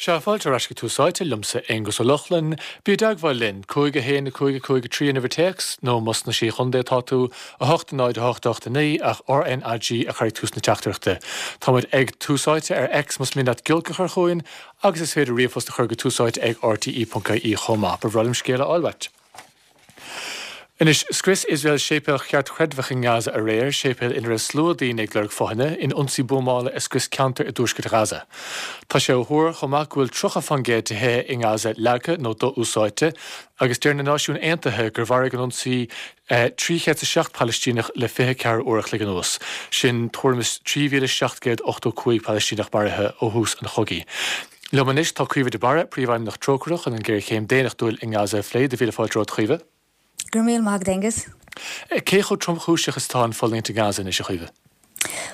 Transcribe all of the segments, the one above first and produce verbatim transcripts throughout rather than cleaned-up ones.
Sea, fáilte ar ais go Tús Áite liomsa Aonghus Ó Lochlainn, bí i dteagmháil linn, cúig a haon a cúig a cúig a trí an uimhir téacs, nó más sna Sé Chontae atá tú, a hocht a náid a hocht a hocht a naoi ach RNAG a chur ag tús na teachtaireachta. Táimid ag Tús Áite ar X más mian leat giolc a chur chugainn, agus is féidir ríomhphost a chur go túsáite ag rte.ie chomh maith. Ba bhreá liom scéal a fháil uait. Anois, scrios Iosrael séipéal cheartchreidmheach i nGaza aréir, séipéal ina raibh slua daoine ag lorg fothaine, in ionsaí buamála a scrios ceantar i dtuaisceart Ghaza. Tá sé á thuar chomh maith go bhfuil tríocha faoin gcéad de thithe i nGaza leagtha nó do-úsáidte, agus deir na Náisiúin Aontaithe gur mharaigh an ionsaí trí chéad is a seacht Palaistíneach le fiche ceathair uair a chloig anuas. Sin tuairim is trí mhíle seacht gcéad ochtó cúig Palaistíneach maraithe ó thús an chogaidh. Liom anois tá Caoimhe de Barra, Príomhfheidhmeannach Trócaire chun an géarchéim daonnachtúil i nGaza a phlé. Do mhíle fáilte romhat, a Chaoimhe. Go raibh míle maith agat, Aonghus. Cé chomh tromchúiseach is atá an fulaingt i nGaza anois, a Chaoimhe?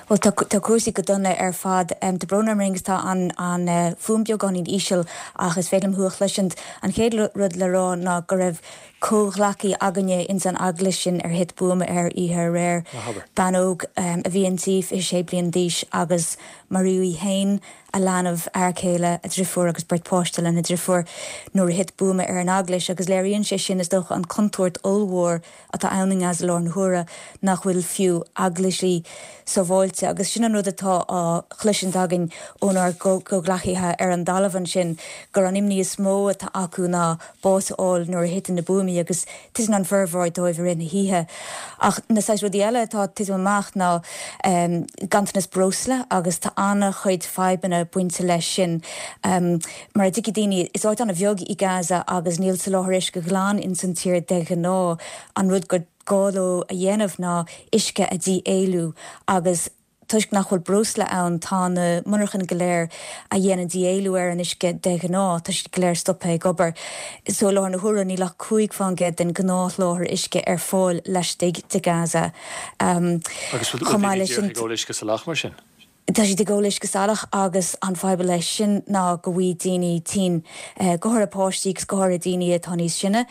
Bhuel tá tá cúrsaí go dona ar fad. Tá brón orm Aonghus tá an an fuaim beagáinín íseal ach is féidir liom thú a chloisint. An chéad rud le rá ná go raibh comhghleacaí againne ins an eaglais sin ar thit buama air oíche aréir. Bean óg a bhí inti fiche sé bliain d'aois agus maraíodh í féin, a leanbh, a fhear céile, a drifiúr agus beirt páiste lena drifiúr nuair a thit buama ar an eaglais agus léiríonn sé sin is dócha an contúirt ollmhór atá ann i nGaza i láthair na huaire nach bhfuil fiú eaglaisí sábháilte agus sin an rud atá á chloisint againn ónár gcomhghleacaithe ar an dtalamh ansin gur an imní is mó atá acu ná bás a fháil nuair a thiteann na buamaí agus titeann an formhór dóibh i rith na hoíche. Ach na saghas rudaí eile atá ag titim amach ná ganntanas breosla agus tá an-chuid fadhbanna bainte leis sin. Mar a dtuigfidh daoine, is áit an-bheag í Gaza agus níl soláthar uisce glan ins an tír de ghnáth. An rud gur gá leo a dhéanamh ná uisce a dhí-éilliú agus toisc nach bhfuil breosla ann tá na monarchana go léir a dhéanann dí-éilliú ar an uisce de ghnáth, tá siad go léir stoptha ag obair. So i láthair na huaire níl ach cúig faoin gcéad den ghnáthsholáthar uisce ar fáil laistigh de Gaza. Agus bhfuil daoine díreach ag ól uisce salach mar sin? Tá siad ag ól uisce salach agus an fadhb leis sin ná go bhfaighidh daoine tinn, go háirithe páistí agus go háirithe daoine atá níos sine.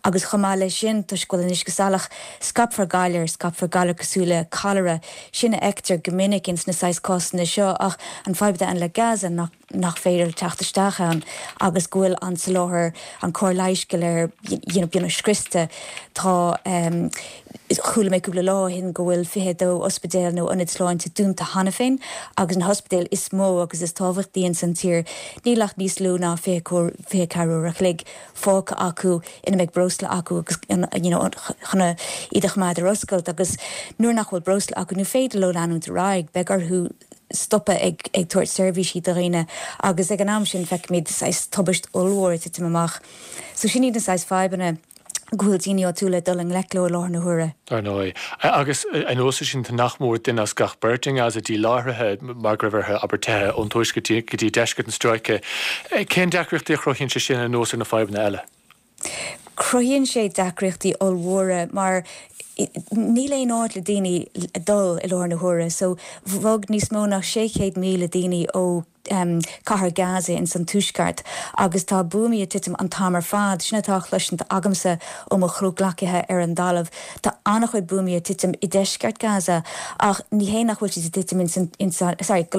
Agus chomh maith leis sin, toisc go bhfuil an uisce salach, scaipfear galar, scaipfear galar cosúil le cholera, sin a fheictear go minic ins na saghas cásanna seo ach an fadhb atá ann le Gaza nach nach féidir teacht isteach ann agus go bhfuil an soláthar, an cóir leighis go léir you know beagnach scriosta. Tá chuala mé cúpla lá ó shin go bhfuil fiche a dó ospidéal nó ionad sláinte dúnta cheana féin agus na hospidéil is mó agus is tábhachtaí ins an tír níl ach níos lú ná fiche fiche ceathair uair a chloig fágtha acu ina mbeidh breosla acu agus you know chun iad a choimeád ar oscailt agus nuair nach bhfuil breosla acu ní féidir leo leanúint ar aghaidh, beidh orthu stopadh ag ag tabhairt seirbhísí do dhaoine agus ag an am sin feicimid saghas tubaist ollmhór ag titim amach. So sin iad na saghas fadhbanna go bhfuil daoine áitiúla ag dul i ngleic leo i láthair na huaire. Dar ndóigh. Agus anuas air sin, tá nach mór duine as gach beirt i nGaza díláithrithe mar go raibh orthu, abair, teitheadh ón tuaisceart go dtí deisceart an stráice. Cén deacrachtaí a chruthaíonn sé sin anuas ar na fadhbanna eile? Cruthaíonn sé deacrachtaí ollmhóra mar níl aon áit le daoine dul i láthair na huaire. So bhog níos mó ná sé chéad míle daoine ó cathair Gaza ins an tuaisceart agus tá buamaí ag titim an t-am ar fad. Sin atá á chloisint agamsa ó mo chomhghleacaithe ar an dtalamh. Tá an-chuid buamaí ag titim i deisceart Gaza ach ní hé nach bhfuil siad ag titim ins an, ins an, sorry,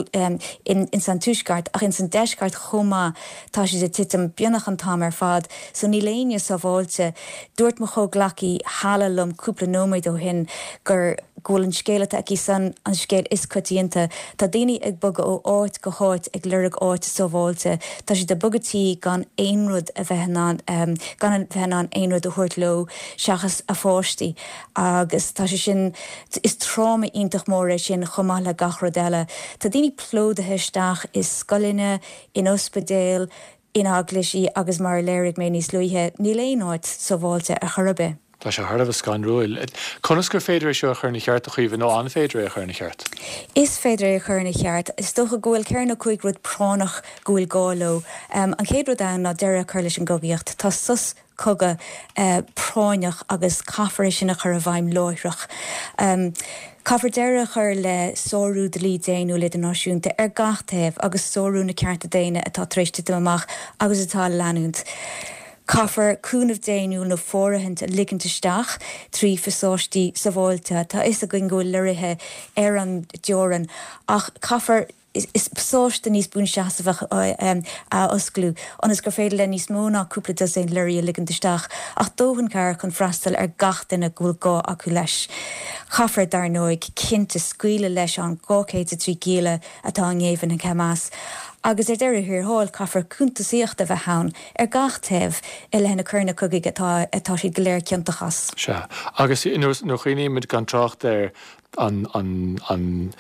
in, ins an tuaisceart ach ins an deisceart chomh maith tá siad ag titim beagnach an t-am ar fad. So níl éinne sábháilte. Dúirt mo chomhghleacaí Hala liom cúpla nóiméad ó shin gur go bhfuil an scéal atá aici san an scéal is coitianta. Tá daoine ag bogadh ó áit go háit ag lorg áit sábháilte. Tá siad ag bogadh tí gan aon rud a bheith in ann, gan a bheith in ann aon rud a thabhairt leo seachas a pháistí agus tá sé sin, is tráma iontach mór é sin chomh maith le gach rud eile. Tá daoine plódaithe isteach i scoileanna, in ospidéil, in eaglaisí agus mar a léirigh mé níos luaithe, níl aon áit sábháilte ar chor ar bith. Tá sé thar a bheith scanrúil. Conas gur féidir é seo a chur ina cheart, a Chaoimhe, nó an féidir é a chur ina cheart? Is féidir é a chur ina cheart. Is dócha go bhfuil ceithre nó cúig rud práinneach go bhfuil gá leo. An chéad rud ann ná deireadh a chur leis an gcogaíocht. Tá sos cogaidh práinneach agus caithfear é sin a chur i bhfeidhm láithreach. Caithfear deireadh a chur le sárú dlí daonnúil idirnáisiúnta ar gach taobh agus sárú na cearta daonna atá tar éis titim amach agus atá ag leanúint. Caithfear cúnamh daonnúil nó fóirithint a ligint isteach trí phasáistí sábháilte. Tá a fhios againn go bhfuil lorraithe ar an dteorainn ach caithfear is pasáiste níos buanseasmhach a osclú ionas gur féidir le níos mó ná cúpla dosaen lorraí a ligint isteach ach dóthain cabhair chun freastal ar gach duine go bhfuil gá acu leis. Caithfear dar ndóigh cinnte scaoileadh leis an dhá chéad a trí gialla atá i ngéibheann ag Hamas. Agus ar deireadh thiar thall caithfear cuntasaíocht a bheith ann ar gach taobh i leith na coireanna cogaidh atá atá siad go léir ciontach as. Sea, agus nuair a chuimhnímid gan trácht ar an an an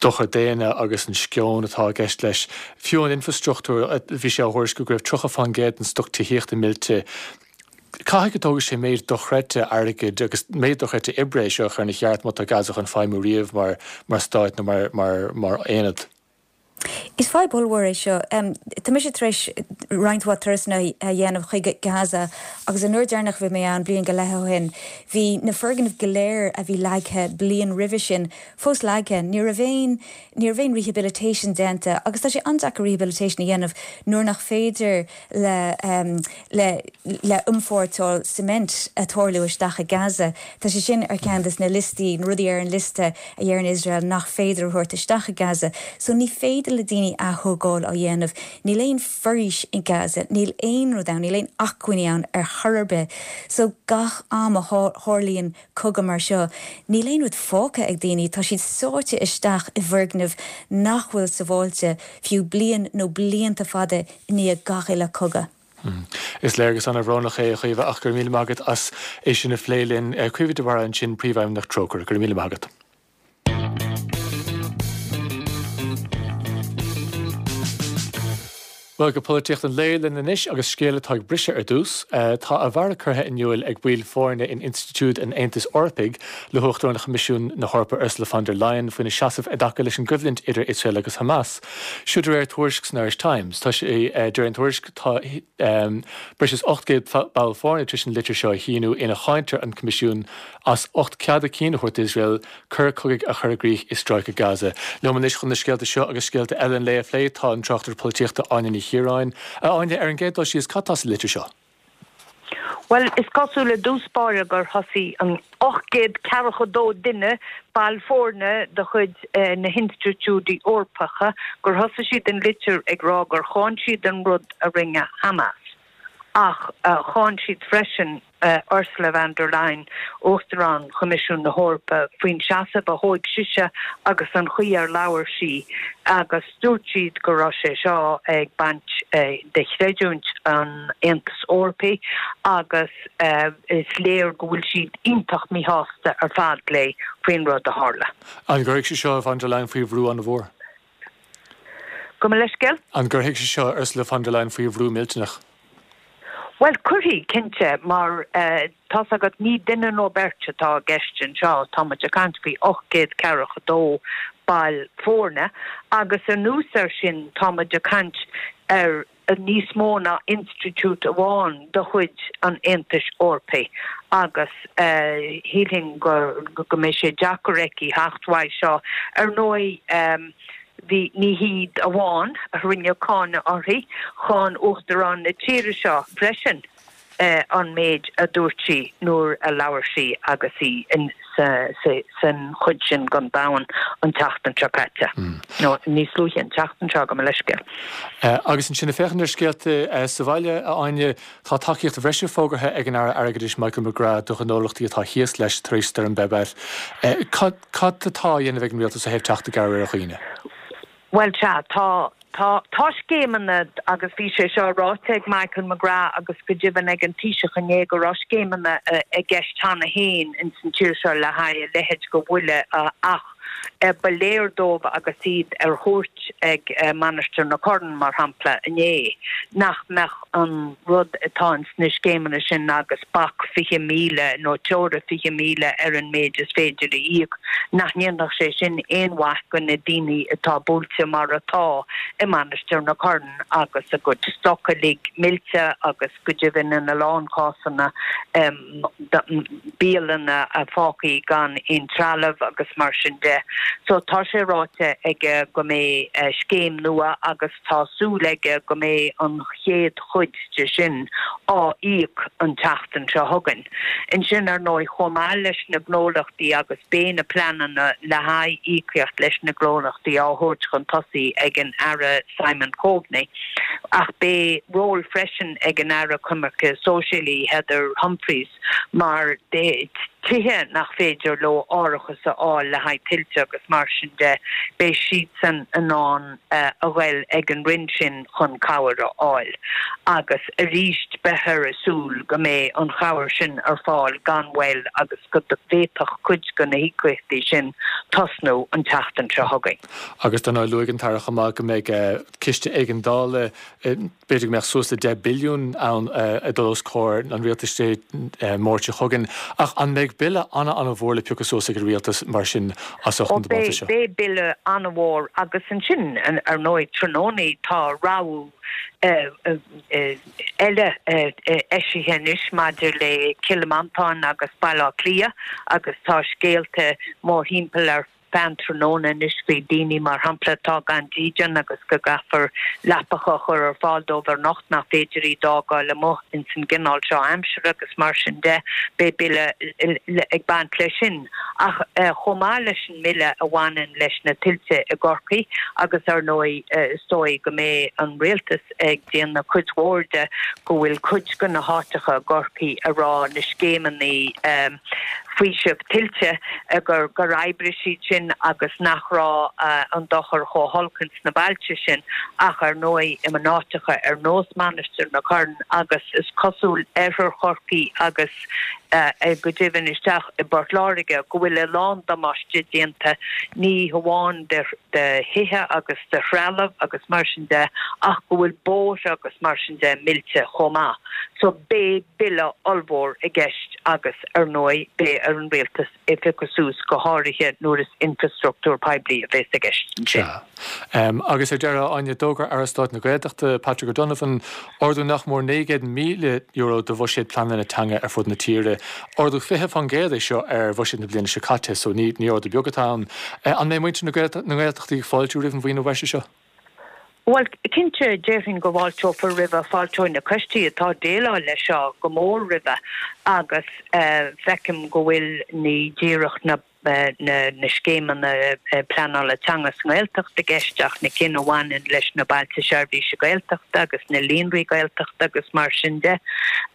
dochar daonna agus an sceon atá i gceist leis. Fiú an infrastruchtúr, bhí sé á thuairisciú go raibh tríocha faoin gcéad den stoc tithíochta millte. Caithfidh go dtógfaidh sé méid dochreidte airgid agus méid dochreidte oibre é seo a chur ina cheart má tá Gaza chun feidhmiú riamh mar mar stát nó mar mar mar aonad. Is fadhb ollmhór é seo. Tá mise tar éis roinnt mhaith turasanna a dhéanamh chuig Gaza agus an uair deireanach a bhí mé ann bliain go leith ó shin, bhí na foirgnimh go léir a bhí leagtha bliain roimhe sin fós leagtha. Ní raibh aon ní raibh aon rehabilitation déanta agus tá sé an-deacair rehabilitation a dhéanamh nuair nach féidir le le le iompórtáil cement a tarlú isteach i Gaza. Tá sé sin ar ceann de na liostaí, na rudaí ar an liosta a deireann Iosrael nach féidir a thabhairt isteach i Gaza. So ní féidir le daoine athógáil á dhéanamh. Níl aon foraois i Gaza, níl aon rud ann, níl aon acmhainní ann ar chor ar bith. So gach am a tharlaíonn cogadh mar seo, níl aon rud fágtha ag daoine, tá siad sáite isteach i bhfoirgnimh nach bhfuil sábháilte fiú bliain nó blianta fada i ndiaidh gach uile cogadh. Is léargas an-bhrónach é, a Chaoimhe, ach go raibh míle maith agat as é sin a phlé linn. Caoimhe de Barra ansin, Príomhfheidhmeannach Trócaire. Go raibh míle maith agat. Bhuel, go polaitíocht an lae linn anois agus scéal atá ag briseadh ar dtús. Tá a bhfearg curtha in iúl ag baill foirne in institiúid an Aontais Eorpaigh le hUachtarán Choimisiún na hEorpa Ursula von der Leyen faoina seasamh i dtaca leis an gcoimhlint idir Iosrael agus Hamas. Seo de réir tuairisc san Irish Times. Tá sé, de réir an tuairisc, tá breis is ocht gcéad ball foirne tar éis an litir seo a shíniú ina cháintear an Coimisiún as ucht cead a cinn a thabhairt d'Iosrael coir chogaidh a chur i gcrích i Stráice Gaza. Liom anois chun na scéalta seo agus scéalta eile an lae a phlé tá an tráchtaire polaitíochta Áine Ní Chiaráin. A Áine, ar an gcéad dul síos, cad tá sa litir seo? Bhuel, is cosúil i dtús báire gur thosaigh an ocht gcéad ceathracha dó duine, ball foirne de chuid na hinstitiúidí Eorpacha, gur thosaigh siad an litir ag rá gur cháin siad an rud a rinne Hamas. Ach cháin siad freisin Ursula von der Leyen, Uachtarán Choimisiún na hEorpa, faoin seasamh a thóig sise agus an chaoi ar labhair sí agus dúirt siad go raibh sé seo ag baint de chreidiúint an Aontais Eorpaigh agus is léir go bhfuil siad iontach míshásta ar fad léi faoin rud a tharla. An gcuirfidh sé seo von der Leyen faoi bhrú an-mhór? Gabh mo leithscéal? An gcuirfidh sé seo Ursula von der Leyen faoi bhrú millteanach? Bhuel, cuirfidh, cinnte, mar tá's agat, ní duine nó beirt atá i gceist anseo, tá muid ag caint faoi ocht gcéad ceathracha dó ball foirne agus anuas air sin tá muid ag caint ar níos mó ná institiúid amháin de chuid an Aontais Eorpaigh agus shílfinn go go mbeidh sé deacair aici theacht uaidh seo. Ar ndóigh, Bhí, ní hiad amháin a rinne cáineadh uirthi, cháin Uachtarán na tíre seo freisin an méid a dúirt sí nuair a labhair sí agus í san chuid sin den domhan an tseachtain seo caite, nó níos luaithe an tseachtain seo, gabh mo leithscéal. Agus ansin, ag féachaint ar scéalta sa bhaile, a Áine, tá tacaíocht bhreise fógartha ag an Aire Airgeadais Michael McGrath do ghnólachtaí atá thíos leis tar éis Stoirm Babet. Cad atá á dhéanamh ag an rialtas ó thaobh teacht i gcabhair ar dhaoine? Bhuel, sea, tá, tá, tá scéimeanna agus bhí sé seo ráite ag Michael McGrath agus go deimhin ag an Taoiseach inné go raibh scéimeanna i gceist cheana féin ins an tír seo le haghaidh a leithéid de bhuille ach ba léir dóibh agus iad ar chuairt ag Mainistir na Corann, mar shampla, inné, nach mbeadh an rud atá ins na scéimeanna sin agus bac fiche míle nó teora fiche míle ar an méid is féidir a íoc, nach ndéanfadh sé sin aon mhaith go na daoine atá buailte mar atá i Mainistir na Corann agus a gcuid stoc uilig millte agus go deimhin ina lán cásanna bialanna fágtha gan aon trealamh agus mar sin de. So tá sé ráite aige go mbeidh scéim nua agus tá súil aige go mbeidh an chéad chuid de sin á íoc an tseachtain seo chugainn. Ansin ar ndóigh chomh maith leis na gnólachtaí agus beidh na pleananna le haghaidh íocaíocht leis na gnólachtaí á thabhairt chun tosaigh ag an Aire Simon Coveney. Ach beidh ról freisin ag an Aire Coimirce Sóisialaí Heather Humphreys mar tithe nach féidir leo árachas a fháil le haghaidh tuilte agus mar sin de, beidh siadsan in ann a ghoil ag an Roinn sin chun cabhair a fháil. Agus arís beifear ag súil go mbeidh an chabhair sin ar fáil gan mhoill agus go bhféadfadh cuid de na híocaíochtaí sin tosnú an tseachtain seo chugainn. Agus dar ndóigh luaigh an tAire chomh maith go mbeidh ciste éigeandála, b'fhéidir go mbeadh suas le deich billiún ann ag dul os comhair an rialtais Dé Máirt seo chugainn. Ach an mbeidh bille an-an-mhór le piocadh suas ag an rialtas mar sin as ucht Ó na dtiománaithe beidh, seo? beidh bille an-mhór agus ansin ar ndóigh tráthnóna tá rabhadh eile eisithe anois maidir le Cill Mhantáin agus Baile Átha Cliath agus tá scéalta mórthimpeall ar feadh an tráthnóna anois faoi daoine mar shampla atá gan dídean agus go gcaithfear leapacha a chur ar fáil dóibh anocht nach féidir iad a fhágáil amuigh ins an gcineál seo aimsire agus mar sin de. Beidh bille ag baint leis sin. Ach chomh maith leis an mbille a bhaineann leis na tuilte i gCorcaigh agus ar ndóigh is dóigh go mbeidh an rialtas ag déanamh cuid mhór de go bhfuil cuid de na háiteacha i gCorcaigh a raibh na scéimeanna faoiseamh tuilte gur gur oibrigh siad sin agus nach raibh an dochar chomh holc ins na bailte sin ach ar ndóigh in áiteacha ar nós Mainistir na Corann agus is cosúil oirthear Chorcaí agus go deimhin isteach i bPort Láirge go bhfuil a lán damáiste déanta ní hamháin de de thithe agus de threalamh agus mar sin de ach go bhfuil bóithre agus mar sin de millte chomh maith. So beidh bille ollmhór i gceist agus ar ndóigh beidh ar an rialtas é a phiocadh suas go háirithe nuair is infrastruchtúr poiblí a bheas i gceist ansin. Sea. Agus ar deireadh, Áine, d'fhógair Aire Stáit na Gaeltachta, Patrick O'Donovan, ardú nach mór naoi gcéad míle euro do bhuiséad pleananna teanga ar fud na tíre. Ardú fiche faoin gcéad é seo ar bhuiséad na bliana seo caite, so ní ní ardú beag atá ann. An mbeidh muintir na nGaeltachtaí ag fáiltiú roimh an mhaoiniú breise seo? Bhuel, cinnte, déarfainn go bhfáilteofar roimhe, fáilteoidh na coistí atá ag déileáil leis seo go mór roimhe agus feicim go bhfuil ní díreach na na scéimeanna pleanála teanga sa nGaeltacht i gceist ach na cinn a bhaineann leis na Bailte Seirbhíse Gaeltachta agus na Líonraí Gaeltachta agus mar sin de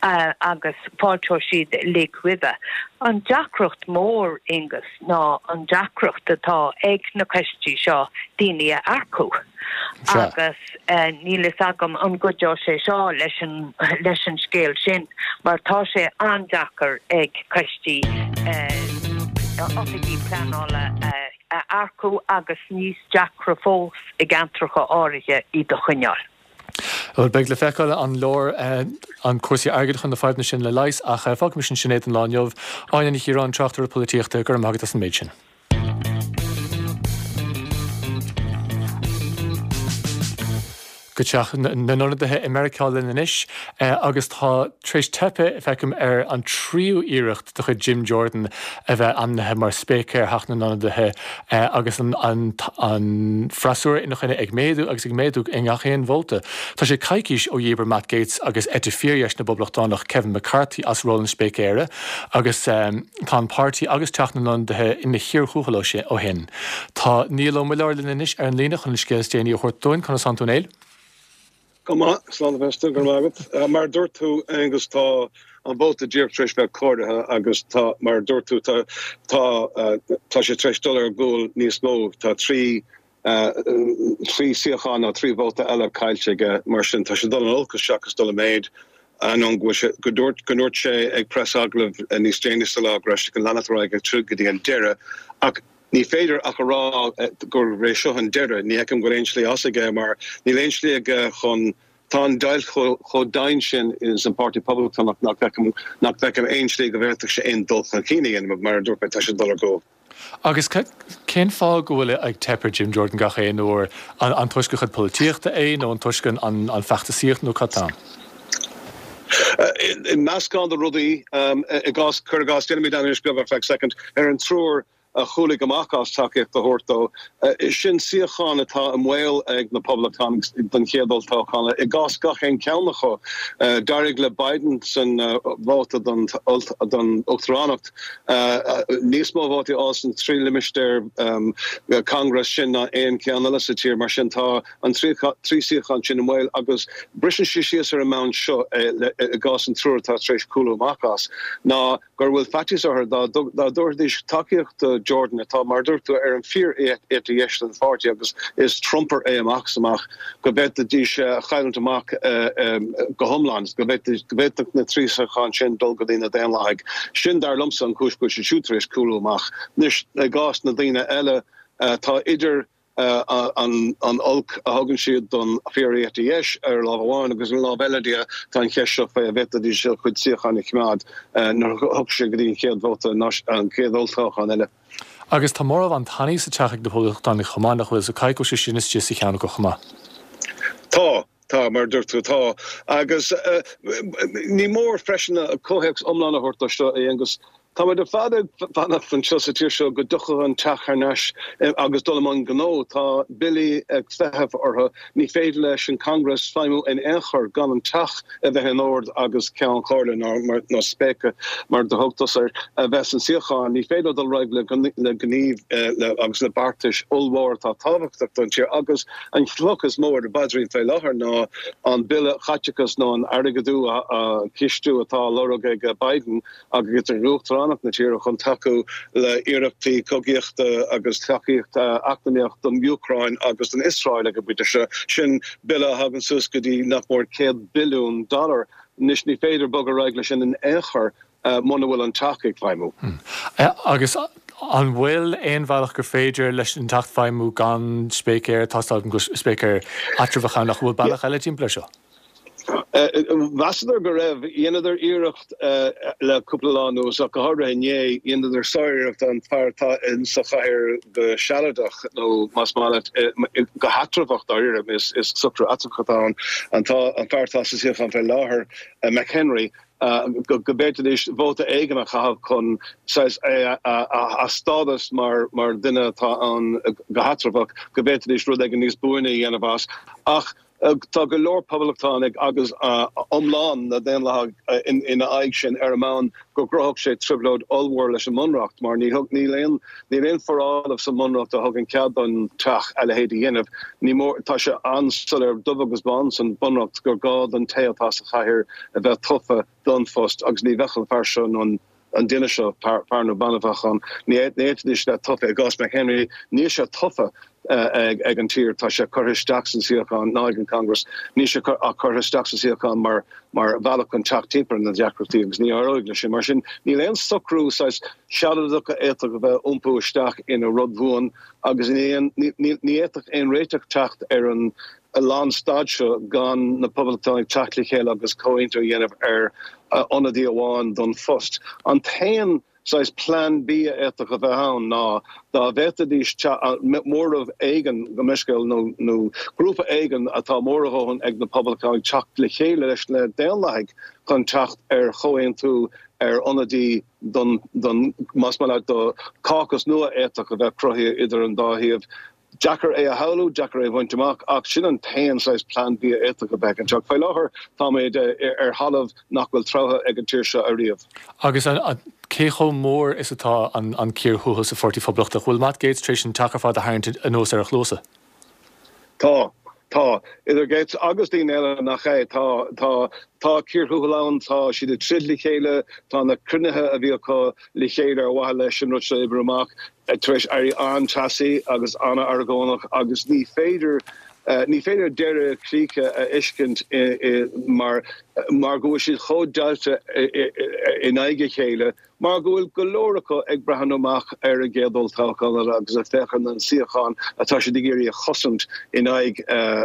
agus fáilteoidh siad uilig roimhe. An deacracht mór, Aonghus, ná an deacracht atá ag na coistí seo daoine a earcú agus níl fhios agam an gcuideoidh sé seo leis an leis an scéal sin mar tá sé an-deacair ag coistí oifigigh pleanála a earcú agus níos deacra fós i gceantracha áirithe iad a choinneáil. Bhuel, beidh le feiceáil an leor an cúrsaí airgid chun na fadhbanna sin le leigheas ach fágaimis ansin é don lá inniu. Áine Ní Chiaráin, tráchtaire polaitíochta, go raibh maith agat as an méid sin. Go Teach na nIonadaithe i Meiriceá linn anois agus tá tar éis teipeadh, feicim, ar an tríú iarracht de chuid Jim Jordan a bheith ainmnithe mar Spéicéir Theach na nIonadaithe agus an freasúra ina choinne ag méadú agus ag méadú i ngach aon vóta. Tá sé coicís ó dhíbir Matt Gaetz agus eite fíordheis na bPoblachtánach Kevin McCarthy as ról an Spéicéara agus tá an páirtí agus Teach na nIonadaithe ina chíor thuathail ó shin. Tá Niall Ó Muilleoir linn anois ar an líne chun an scéal is déanaí a thabhairt dúinn. Conas tánn tú a Néill? Go maith, slán a bheas tú, go raibh maith agat. Mar a dúirt tú, Aengus, tá an vóta díreach tar éis bheith comhairithe agus tá, mar a dúirt tú, tá, tá, tá sé tar éis dul ar gcúl níos mó. Tá trí, trí suíochán nó trí vóta eile caillte aige, mar sin tá sé dul in olcas seachas dul i méid. Ainneoin go bhfuil sé, go dúirt, go ndúirt sé ag preasagallamh níos déanaí sa lá go raibh sé chun leanacht ar aghaidh ag troid go dtí an deireadh. Ach ní féidir ach a rá gurb é seo an deireadh. Ní fheicim go bhfuil aon slí as aige mar níl aon slí aige chun, tá an deighilt chomh domhain sin ins an Páirtí Poblachtánach nach bhfeicim, nach bhfeicim aon slí go bhféadfadh sé aon dul chun cinn a dhéanamh. Mar a dúirt mé, tá sé ag dul ar gcúl. Agus cén fáth go bhfuil ag teip ar Jim Jordan gach aon uair? An toisc a chuid polaitíochta é nó an toisc an feachtasaíocht nó cad tá ann? Meascán de rudaí. I gcás, cuir i gcás, déanfaimid anailís beag ar feadh soicind ar an triúr a chúlaigh amach as tacaíocht a thabhairt dó. Sin suíochán atá i mbaol ag na Poblachtánaigh don chéad olltoghchán i gcás gach aon cheann acu. D'éirigh le Biden san vóta don uachtaránacht níos mó vótaí a fháil sna trí limistéar Congress sin ná aon cheann eile sa tír. Mar sin tá an trí suíochán sin i mbaol agus briseann sé síos ar an mbonn seo i gcás an triúr atá tar éis cúlú amach as ná gur bhfuil faitíos orthu dá dtabharfaidís tacaíocht do Jordan, atá, mar a dúirt tú, ar an bhfíor-eite dheis den pháirtí agus is Trumper é amach is amach, go bhféadfaidís a chailliúint amach go hiomlán, go bhféadfadh na trí suíochán sin dul go dtí na Daonlathaigh. Sin, dar liomsa, an chúis go bhfuil siad siúd tar éis cúlú amach. Anois, i gcás na ndaoine eile, tá idir an olc a thugann siad don fhíor-eite dheis ar lámh amháin agus ar an lámh eile de tá an cheist seo faoi an bhféadfaidís a gcuid suíochán a choimeád nuair a thiocfaidh sé go dtí an chéad vóta, an chéad olltoghchán eile. Agus tá móramh an-tanaí sa teach ag na Poblachtánaigh chomh maith, nach bhfuil, so caithfidh go bhfuil sé sin istigh sa cheann acu chomh maith. Tá. Tá, mar a dúirt tú, tá. Agus ní mór freisin comhthéacs iomlán a thabhairt dó seo, a Aonghuis. Táimid ar fad ag fanacht anseo sa tír seo go dtiocfadh an teach thar n-ais agus dul i mbun gnó. Tá billí ag feitheamh orthu. Ní féidir leis an Congress feidhmiú in aon chor gan an teach a bheith in ord agus Ceann Comhairle nó Spéice, mar do thug tusa air, a bheith san suíochán. Ní féidir dul ar aghaidh le gníomh agus le beartais ollmhóra atá tábhachtach don tír. Agus an chloch is mó ar an bpaidrín fé láthair ná an bille chaiteachais nó an airgeadú, cistiú atá á lorg ag Biden, agus ag Uachtaránacht na tíre chun tacú le hiarrachtaí cogaíochta agus tacaíocht eacnamaíoch don Úcráin agus don Iosrael ag an bpointe seo. Sin bille a thagann suas go dtí nach mór céad billiún dollar. Anois ní féidir bogadh ar aghaidh leis sin in aon chor muna bhfuil an Teach ag feidhmiú. Agus an bhfuil aon bhealach gur féidir leis an Teach feidhmiú gan spéicéir, tá a fhios agam go bhfuil spéicéir eatramhach ann, ach an bhfuil bealach eile timpeall air seo? Mheasadar go raibh. Dheineadar iarracht le cúpla lá anuas, ach go háirithe inné, dheineadar sáriarracht an fear atá in sa chathaoir go sealadach, nó más maith leat, go heatramhach dáiríre, is socrú eatramhach atá ann, an fear atá sa suíochán fé láthair, McHenry, go bhféadfaidís vóta éigin a chaitheamh chun saghas a stádas mar dhuine atá ann go heatramhach, go bhféadfaidís rud éigin níos buaine a dhéanamh as. Ach. Tá go leor Poblachtánaigh agus iomlán na nDaonlathach ina aghaidh sin ar an mbonn go gcruthódh sé trioblóid ollmhór leis an mBunreacht mar níl aon níl aon foráil sa mBunreacht a thugann cead don Teach a leithéid a dhéanamh. Ní mór, tá sé an-soiléir, dubh agus bán san Bhunreacht gur gá don té atá sa chathaoir a bheith tofa don phost agus ní bheadh an fear seo nó an an duine seo, fear nó bean a bheadh ann, ní fhéadfaidís bheith tofa. I gcás McHenry, níl sé tofa ag an tír, tá sé curtha isteach san suíochán, ná ag an Congress, níl sé ach curtha isteach sa suíochán mar mar bhealach chun teacht timpeall ar na deacrachtaí agus ní éireoidh leis sin. Mar sin, níl aon socrú saghas sealadach a fhéadfadh a bheith iompú isteach ina rud buan agus ní fhéadfadh aon réiteach teacht ar an lánstad seo gan na Poblachtánaigh teacht le chéile agus comhaontú a dhéanamh ar ionadaí amháin don phost. An t-aon saghas Plan B a fhéadfadh a bheith ann ná dá bhféadfaidís móramh éigin, gabh mo leithscéal, nó grúpa éigin atá mór a dhóthain ag na Poblachtánaigh teacht le chéile leis na Daonlathaigh chun teacht ar chomhaontú ar ionadaí don, don, más maith leat, do caucus nua a fhéadfadh a bheith cruthaithe idir an dá thaobh. Deacair é a shamhlú, deacair é a bhaint amach, ach sin an t-aon saghas Plan B a fhéadfadh a bheith anseo. Faoi láthair, táimid ar thalamh nach bhfuil treabhtha ag an tír seo ariamh. Agus cé chomh mór is atá an cíor thuathail sa Pháirtí Phoblachtach? Bhfuil Matt Gaetz tar éis an teach ar fad a tharraingt anuas ar a chluasa? Tá. Tá. Idir Gaetz agus daoine eile nach é. Tá. Tá. Tá cíor thuathail ann. Tá siad ag troid le chéile. Tá na cruinnithe a bhí acu le chéile ar mhaithe leis an rud seo a oibriú amach tar éis éirí an-teasaí agus an-argónach agus ní féidir ní féidir deireadh críche a fheiscint mar mar go bhfuil siad chomh deighilte in aghaidh a chéile mar go bhfuil go leor acu ag breathnú amach ar an gcéad olltoghchán eile agus ag féachaint ar na suíocháin atá siad ag iarraidh a chosaint in aghaidh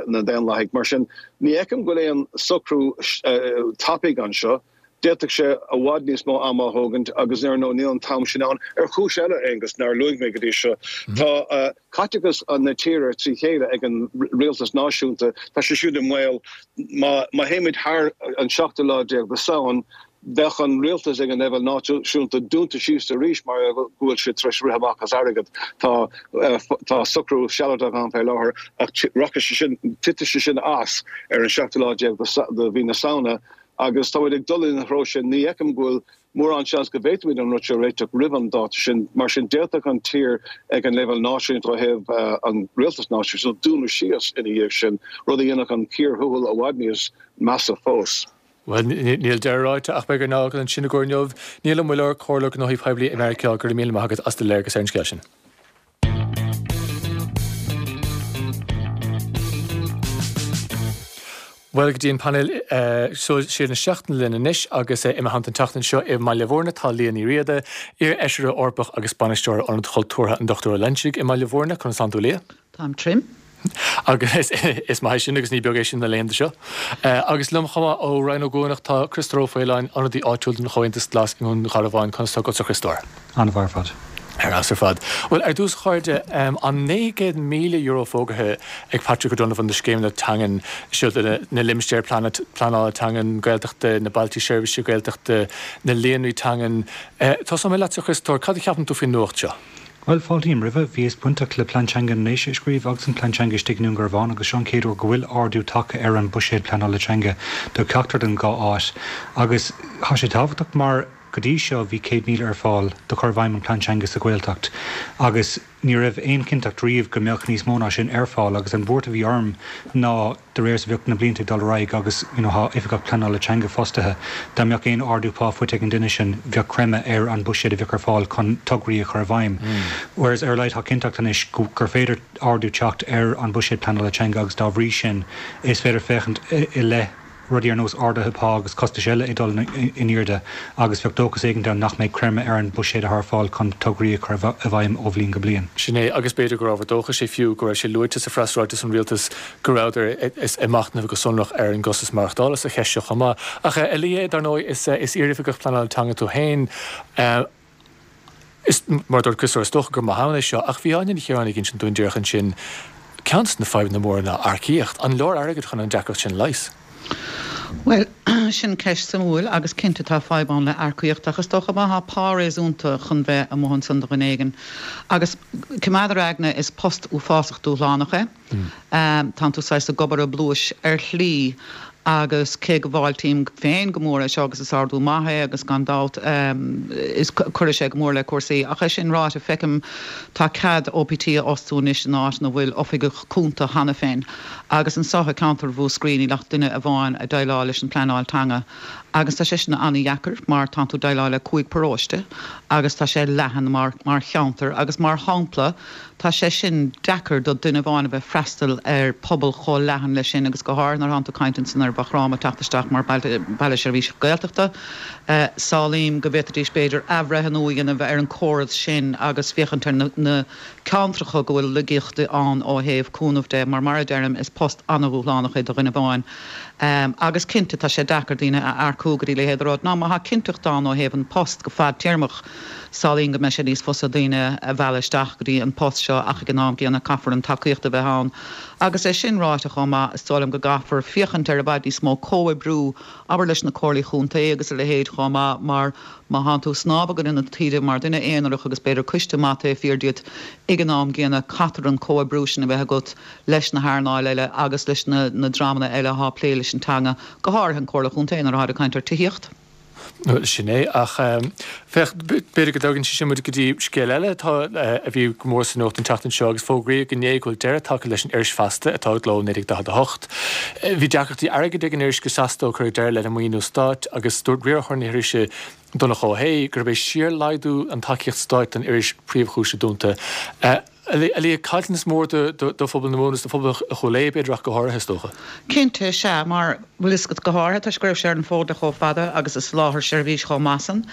na nDaonlathaigh. Mar sin, ní fheicim go bhfuil aon socrú tapaidh anseo. D'fhéadfadh sé i bhfad níos mó ama a thógaint agus ar ndóigh níl an t-am sin ann. Ar chúis eile, a Aonghus, nár luaigh mé go dtí seo, tá caiteachas na tíre trí chéile ag an rialtas náisiúnta, tá sé siúd i mbaol. Má, má théimid thar an seachtú lá déag de Samhain, Bheadh an rialtas ag an leibhéal náisiúnta dúnta síos arís mar go bhfuil siad tar éis rith amach as airgead. Tá tá socrú sealadach ann fé láthair ach rachaidh sé sin, titfidh sé sin as ar an seachtú lá déag de mhí na Samhna agus táimid ag dul ina threo sin. Ní fheicim go bhfuil mórán seans go bhféadfaimid an rud seo a réiteach roimh an dáta sin. Mar sin d'fhéadfadh an tír ag an leibhéal náisiúnta ó thaobh an rialtas náisiúnta dúnadh síos ina dhiaidh sin, rud a dhéanfadh an cíor thuathail i bhfad níos measa fós. Bhuel, níl deireadh ráite ach beidh ár n-fhágáil ansin i gcomhair inniu. Niall Ó Muilleoir, Comhairleoir Gnóthaí Poiblí i Meiriceá, go raibh míle maith agat as do léargas ar an scéal sin. Bhuel, go dtí an painéal Sóisialta na Seachtaine linn anois agus i mo theannta an tseachtain seo i mBaile Bhúirne tá Liadh Ní Riada, iar-fheisire Eorpach agus bainisteoir Ionad Chultúrtha an Dochtúir Ó Loinsigh i mBaile Bhúirne. Conas tánn tú, a Liadh? Táim trim. Agus is maith é sin agus ní beag é sin na laethanta seo. Agus liom chomh maith ó Rinn Ó gCuanach tá Criostóir Ó Faoláin, ionadaí áitiúil don Chomhaontas Glas i nDún Garbhán. Conas tá agatsa, a Chriostóir? An-mhaith ar fad. Ar fheabhas ar fad. Bhuel, ar dtús, a chairde, an naoi gcéad míle euro fógartha ag Patrick O'Donovan do scéimeanna teangan, seo na limistéir pleanála teangan Gaeltachta, na bailte seirbhíse Gaeltachta, na líonraí teangan. Tosóidh mé leatsa, a Chriostóir, cad a cheapann tú faoin nuacht seo? Bhuel, fáiltím roimhe. Bhíos bainteach le Plean Teanga na nDéise a scríobh agus an Plean Teanga istigh i nDún Garbhán agus seo an chéad uair go bhfuil ardú tagtha ar an buiséad pleanála teanga do cheachtar den dhá áit. Agus tá sé tábhachtach mar go dtí seo bhí céad míle ar fáil do chur i bhfeidhm an Plean Teanga sa Ghaeltacht agus ní raibh aon chinnteacht riamh go mbeadh níos mó ná sin ar fáil agus an bhuairt a bhí orm ná de réir is a bheadh na blianta ag dul ar aghaidh agus you know tá oifigeach pleanála teanga fostaithe, dá mbeadh aon ardú pá faighte ag an duine sin bheadh creimeadh ar an buiséad a bheadh ar fáil chun tograí a chur i bhfeidhm. Whereas ar a laghad tá cinnteacht anois gur féidir ardú teacht ar an buiséad pleanála teanga agus dá bhrí sin is féidir féachaint i leith rudaí ar nós arduithe pá agus costais eile ag dul in airde agus bheadh dóchas éigin ann nach mbeidh creimeadh ar an buiséad atá ar fáil chun tograí a chur i bhfeidhm ó bhliain go bliain. Sin é, agus b'fhéidir gur ábhar dóchais é fiú go raibh sé luaite sa phreasráiteas ón rialtas go rabhadar ag machnamh go sonrach ar an gcostas maireachtála sa cheist seo chomh maith. Ach a Liadh, dar ndóigh, is iar-oifigeach pleanála teanga tú féin. Is, mar a dúirt Criostóir, is dócha gur maith ann é seo, ach bhí Áine Ní Chiaráin ag insint dúinn díreach ansin, ceann de na fadhbanna móra ná earcaíocht. An leor airgead chun an deacracht sin a leigheas? Bhuel, sin ceist suimiúil agus cinnte tá fadhb ann le earcaíocht ach is dócha má thá pá réasúnta chun bheith amuigh ansan do dhuine éigin agus coimeád ar aigne is post uafásach dúshlánach é. Tánn tú saghas ag obair i bpluais ar shlí agus cé go bhfáiltím féin go mór é seo agus is ardú maith é agus gan dabht is cuirfidh sé go mór le cúrsaí ach é sin ráite feicim tá cead OPT a fhostú anois in áit ina bhfuil oifigeach cúnta cheana féin agus anso i gceantar Mhúscraí níl ach duine amháin ag déileáil leis an pleanáil teanga agus tá sé sin an-dheacair mar tánn tú ag déileáil le cúig paróiste agus tá sé leathan mar mar cheantar agus mar shampla Tá sé sin deacair do duine amháin a bheith freastal ar pobal chomh leathan leis sin agus go háirithe nuair atánn tú ag caint ansan ar Mhaigh Chromtha ag teacht isteach mar baile seirbhíse Gaeltachta. Samhlaím go bhféadfaidís b'fhéidir athbhreithniú a dhéanamh ar an córas sin agus féachaint ar na ceantracha go bhfuil laigeachtaí ann ó thaobh cúnamh de mar mar a deirim is post an-dhúshlánach é do dhuine amháin agus cinnte tá sé deacair daoine a earcú go dtí a leithéid de rud. Ná má thá cinnteacht ann ó thaobh an post go fadtéarmach Samhlaím go mbeidh sé níos fusa daoine a mhealladh isteach go dtí an post seo ach ag an am gcéanna caithfear an tacaíocht a bheith ann. Agus é sin ráite chomh maith, is dóigh liom go gcaithfear féachaint ar i bhfad níos mó comhoibriú, abair leis na comhairlí chontae agus a leithéid chomh maith mar má thánn tú ag snámh i gcoinne na taoide mar duine aonarach agus b'fhéidir coiste maith taobh thiar díot, ag an am gcéanna caithfear an comhoibriú sin a bheith agat leis na hearnáil eile agus leis na dreamanna eile athá ag plé leis an teanga, go háirithe an Comhairle Chontae nuair atáid ag caint ar tithíocht. Sin é, ach féach, b'fhéidir go dtugann sé sin muid go dtí scéal eile atá, a bhí go mór sa nuacht an tseachtain seo agus fógraíodh inné go bhfuil deireadh tagtha leis an iris Feasta atá i gcló ó naoi déag daichead a hocht. Bhí deacrachtaí airgid ag an iris go seasta ó cuireadh deireadh lena maoiniú stáit agus dúirt riarthóir na hirise Donncha Ó hAodha gurb é síor-laghdú an tacaíocht stáit don iris príomhchúis a dúnta. A Liadh, caillteanas mór do phobal na Mumhan is do phobal Chúil Aodha, b'fhéidir, ach go háirithe, is dócha. Cinnte, sea, mar, bhfuil fhios agat, go háirithe toisc go raibh sé ar an bhfód le chomh fada agus ag soláthar seirbhís chomh maith san.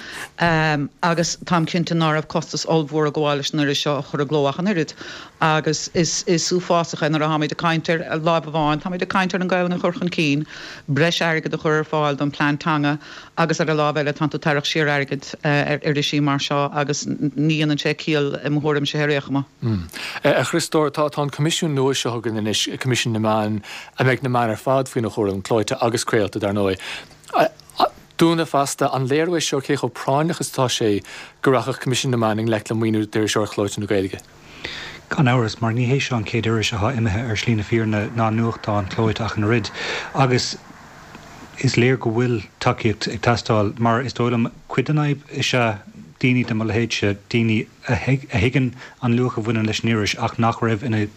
Agus táim cinnte ná raibh costas ollmhór ag gabháil leis an iris seo a chur i gcló ach an oiread. Agus is, is uafásach é nuair a tháimid ag caint ar, láimh amháin, táimid ag caint ar an Ghaelainn a chur chun cinn, breis airgid a chur ar fáil don plean teanga agus ar an lámh eile tánn tú ag tarrac siar airgid ar irisí mar seo agus ní dhéanann sé ciall i mo thuairimse ar aon chuma. A Chriostóir, tá an Coimisiún nua seo chugainn anois, Coimisiún na Meán, a mbeidh na meáin ar fad faoina chúram, clóite agus craolta, dar ndóigh. Dúnadh fosta. An léiriú é seo cé chomh práinneach is atá sé go rachadh Coimisiún na Meán i ngleic le maoiniú d'iriseoireacht chlóite na Gaeilge? Gan amhras, mar ní hé seo an chéad iris atá imithe ar shlí na fírinne ná nuachtán clóite ach an oiread. Agus is léir go bhfuil tacaíocht ag teastáil mar is dóigh liom cuid den fhadhb is ea daoine de mo leithéidse, daoine a thuigeann an luach a bhaineann leis an iris ach nach raibh ina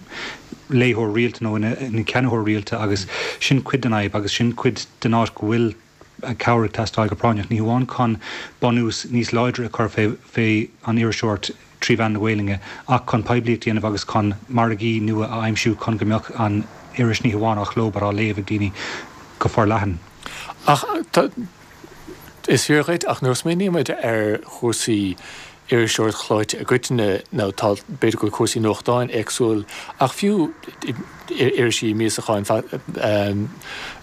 léitheoir rialta nó ina ceannaitheoir rialta agus sin cuid den fhadhb agus sin cuid den áit go bhfuil cabhair ag teastáil go práinneach, ní hamháin chun bunús níos láidre a chur fé an iriseoireacht trí mheán na Gaelainne ach chun poiblíocht a dhéanamh agus chun margaí nua a aimsiú chun go mbeadh an iris ní hamháin á chló but á léamh ag daoine go forleathan. Ach is fíor dhuit, ach nuair a smaoinímid ar chúrsaí iriseoireacht chlóite i gcoitinne, nó tá, b'fhéidir go bhfuil cúrsaí nuachtáin éagsúil, ach fiú irisí míosacháin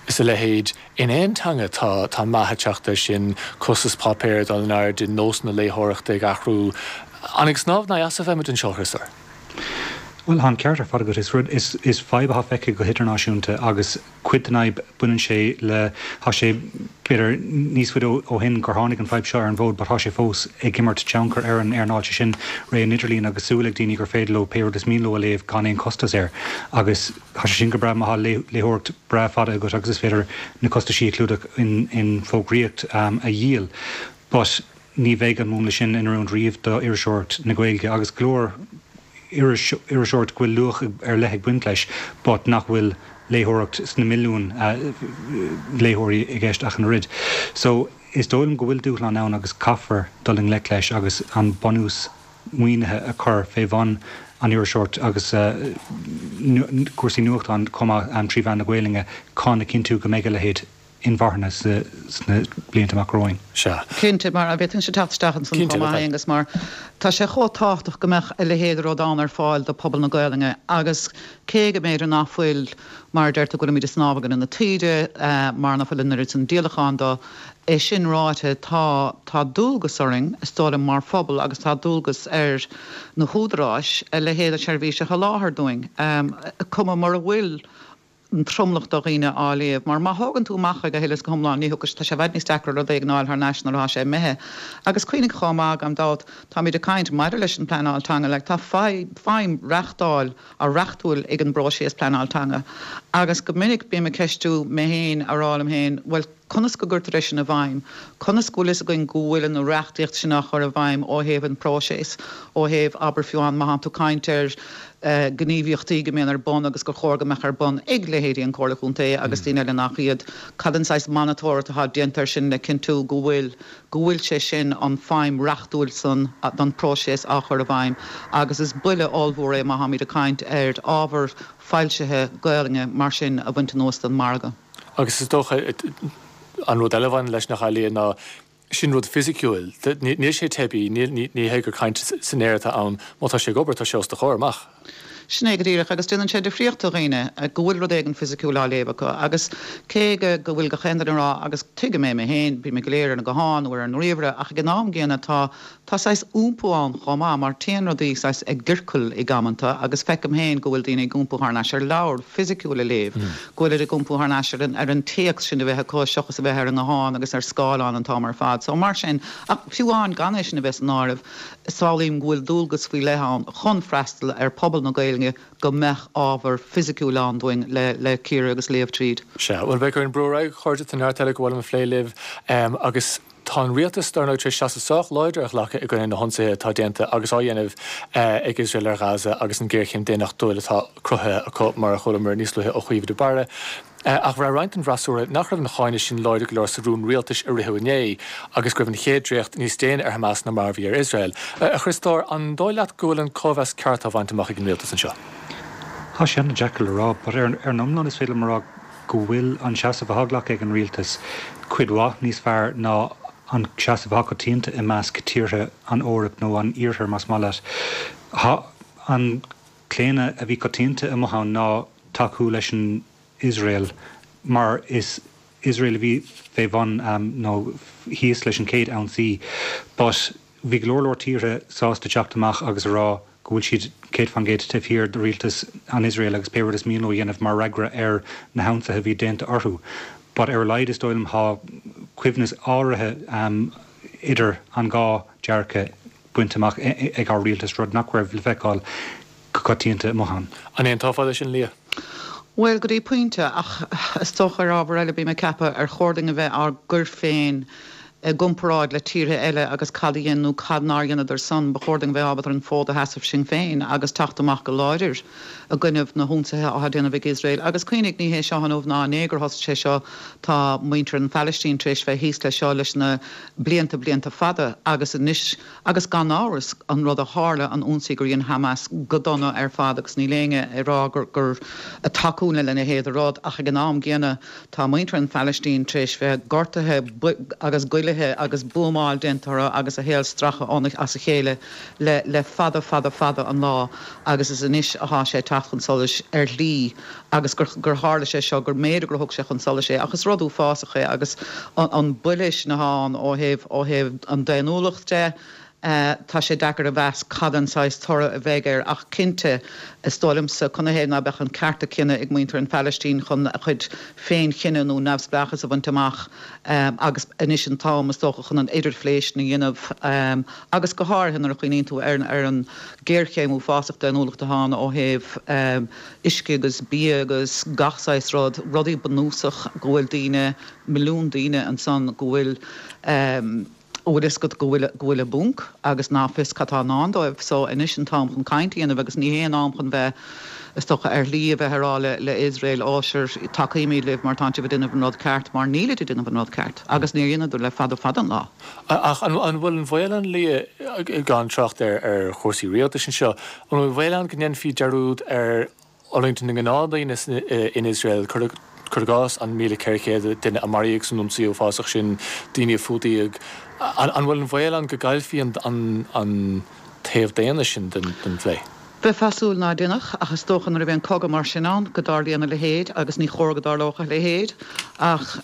is a leithéid, in aon teanga tá tá meath ag teacht air sin, costas páipéir ag dul in airde, nósanna léitheoireachta ag athrú. An ag snámh in aghaidh easa a bheimid anseo, a Chriostóir? Bhuel, tá an ceart ar fad agat. Is rud, is, is fadhb atá feicthe go hidirnáisiúnta agus cuid den fhadhb, baineann sé le, tá sé, b'fhéidir, níos faide ó shin gur tháinig an fadhb seo ar an bhfód but tá sé fós ag imirt tionchar ar an earnáil, sé sin ré an idirlín agus súil ag daoine gur féidir leo pé rud is mian leo a léamh gan aon chostas air agus tá sé sin go breá má tá léitheoireacht breá fada agat agus is féidir na costaisí a chlúdach in, in fógraíocht a dhíol but ní bheidh an múnla sin in oiriúint riamh do iriseoireacht na Gaeilge agus go leor iriseoireacht go bhfuil luach ar leith ag baint leis but nach bhfuil léitheoireacht sna milliúin léitheoirí i gceist ach an oiread. So is dóigh liom go bhfuil dúshlán ann agus caithfear dul i ngleic leis agus an bunús maoinithe a chur fé bhun an iriseoireacht agus cúrsaí nuachtáin chomh maith trí mheán na Gaelainne chun a chinntiú go mbeidh a leithéid inmharthana sna blianta amach romhainn. Sea. Cinnte, mar an bhféadfainnse teacht isteach ansan chomh maith, Aonghus, mar tá sé chomh tábhachtach go mbeadh a leithéid de rud ann ar fáil do phobal na Gaelainne agus cé go mb'fhéidir nach bhfuil, mar a deir tú, go bhfuilimid ag snámh i gcoinne na taoide, mar nach bhfuil an oiread sin díolachán dó, é sin ráite, tá, tá dualgas orainn, is dóigh liom, mar phobal agus tá dualgas ar na húdaráis a leithéid de sheirbhís a sholáthar dúinn, cuma mura bhfuil an tromlach de dhaoine á léamh, mar má thógann tú amach é go huile is go hiomlán, ní thiocfaidh, tá sé i bhfad níos deacra rud éigin a fháil thar n-ais nuair atá sé imithe. Agus cuimhnigh chomh maith, gan dabht, táimid ag caint maidir leis an bpleanáil teanga, like, tá feidhm reachtáil, a reachtúil ag an bpróiseas pleanáil teanga agus go minic bím ag ceistiú mé féin, a rá liom féin, bhuel, conas go gcuirtear é sin i bhfeidhm? Conas go bhfuil fhios againn go bhfuil an reachtaíocht sin á chur i bhfeidhm ó thaobh an próiseas, ó thaobh, abair fiú amháin má thánn tú ag caint ar gníomhaíochtaí go mbíonn ar bun agus gur chóir go mbeadh ar bun ag leithéidí an Chomhairle Chontae agus daoine eile nach iad, cad an saghas monatóireacht atá déanta air sin le cinntiú go bhfuil, go bhfuil sé sin, an feidhm reachtúil san don próiseas á chur i bhfeidhm agus is buille ollmhór é má tháimid ag caint ar ábhar foilsithe Gaelainne mar sin a bhaint anuas den margadh. Agus is dócha an rud eile a bhaineann leis nach ealaíon ná sin rud fisiciúil. Níl sé teibí, ní hé gur caint san aer atá ann. Má tá sé ag obair, tá sé os do chomhair amach. Sin é go díreach, agus déanann sé difríocht do dhaoine go bhfuil rud éigin fisiciúil á léamh acu. Agus cé go go bhfuil gach aon duine ag rá, agus tuigim é mé féin, bímid go léir ar an nguthán nó ar an ríomhaire, ach ag an am gcéanna tá Tá saghas iompú ann chomh maith mar téann rudaí saghas i gciorcail ag amanta agus feicim féin go bhfuil daoine ag iompú thar n-ais ar leabhar fisiciúil a léamh, go bhfuilid ag iompú thar n-ais ar an ar an téacs sin a bheith acu seachas a bheith ar an nguthán agus ar scáileán an t-am ar fad. So mar sin, ach fiú amháin gan é sin a bheith san áireamh, samhlaím go bhfuil dualgas faoi leith ann chun freastal ar phobal na Gaeilge go mbeadh ábhar fisiciúil ann dúinn le le cíoradh agus léamh tríd. Sea, bhuel beidh orainn brú ar aghaidh, a chairde, tá neart eile gur mhaith liom a phlé libh agus. Tá an rialtas, dar ndóigh, tar éis seasamh sách láidir a ghlacadh i gcoinne na hionsaithe atá déanta agus á dhéanamh ag Iosrael ar Ghaza agus an ghéarchéim daonnachtúil atá cruthaithe acu, mar a chualamar níos luaithe ó Chaoimhe de Barra. Ach bhraith roinnt den bhfreasúra nach raibh an cáineadh sin láidir go leor sa rún rialtais a ritheadh inné agus go raibh an chéad dréacht níos déine ar Hamas ná mar a bhí ar Iosrael. A Chriostóir, an dóigh leat go bhfuil an cóimheas ceart á bhaint amach ag an rialtas anseo? Tá sé an-deacair le rá, but ar an iomlán is féidir liom a rá go bhfuil an seasamh atá glactha ag an rialtas cuid mhaith níos fearr ná an seasamh atá coitianta i measc tíortha an Eoraip nó an Iarthair más maith leat. Tá an claonadh a bhí coitianta amuigh ann ná tacú leis an Iosrael mar is Iosrael a bhí fé bhun nó thíos leis an chéad ionsaí but bhí go leor leor tíortha sásta teacht amach agus a rá go bhfuil siad céad faoin gcéad taobh thiar de rialtas an Iosrael agus pé rud is mian leo a dhéanamh mar fhreagra ar na hionsaithe a bhí déanta orthu. But ar a laghad is dóigh liom tá coibhneas áirithe idir an dhá dearcadh bainte amach ag ár rialtas, rud nach raibh le feiceáil go coitianta amuigh ann. An aontófá leis sin, Liadh? Bhuel, go dtí pointe, ach is dócha ar ábhar eile, bím ag ceapadh ar chóir dúinn a bheith ár gcur féin i gcomparáid le tíortha eile agus cad a dhein nó cad nár dheineadar san, ba chóir dúinn a bheith ábalta ar an bhfód a sheasamh sinn féin agus teacht amach go láidir i gcoinnibh na hionsaithe atá déanamh ag Iosrael. Agus cuimhnigh, ní hé seo inniu ná inné gur thosaigh sé seo, tá muintir an Phalaistín tar éis bheith thíos leis seo leis na blianta, blianta fada agus anois, agus gan amhras, an rud a tharla, an ionsaí gur dhein Hamas go dona ar fad agus níl éinne ag rá gur, gur ag tacú lena leithéid de rud ach ag an am gcéanna tá muintir an Phalaistín tar éis bheith gortaithe agus goillithe agus buamáil déanta orthu agus a shaol stractha as a chéile le le fada fada fada an lá agus is anois atá sé ag teacht chun solais ar shlí agus gur gur tharla sé seo gur mb'fhéidir gur thug sé chun solais é ach is rud uafásach é agus an buille sin atá ann ó thaobh ó thaobh an daonnúlacht de Tá sé deacair a mheas cad an saghas toradh a bheidh air ach cinnte, is dóigh liomsa, canathaobh ná beadh an ceart a cinneadh ag muintir an Phalaistín chun a chuid féin-chinneadh nó neamhspleáchas a bhaint amach agus anois an t-am, is dócha, chun an idirphlé sin a dhéanamh agus go háirithe nuair a chuimhníonn tú ar ar an géarchéim uafásach daonnúlachta atá ann ó thaobh uisce agus bia agus gach saghas rud, rudaí bunúsach go bhfuil daoine, milliún daoine ansan go bhfuil. bhfuil fhios agat go bhfuil go bhfuil i bponc agus ná fios cad tá i ndán dóibh so anois an t-am chun caint a dhéanamh agus ní hé an am chun bheith is dócha ar shlí a bheith ag rá le le Iosrael ó sure tacaímid libh mar tánn sibh ag déanamh an rud ceart mar nílid ag déanamh an rud ceart agus níor dheineadar le fada fada an lá. Ach an an bhfuil an bhaol ann Liadh gan trácht ar ar chúrsaí rialtais anseo an bhfuil an baol ann go ndéanfaí dearúd ar fhulaingt na ngnáthdhaoine in Iosrael, cuir i gcás, an míle ceithre chéad duine a maraíodh san ionsaí uafásach sin, daoine a fuadaíodh. An bhfuil an baol ann go gcaillfí an taobh daonna sin den phlé? Bheifeá ag súil ná déanfadh, ach is dócha nuair a bhíonn cogadh mar sin ann go dtarlaíonn a leithéid agus ní chóir go dtarlódh a leithéid ach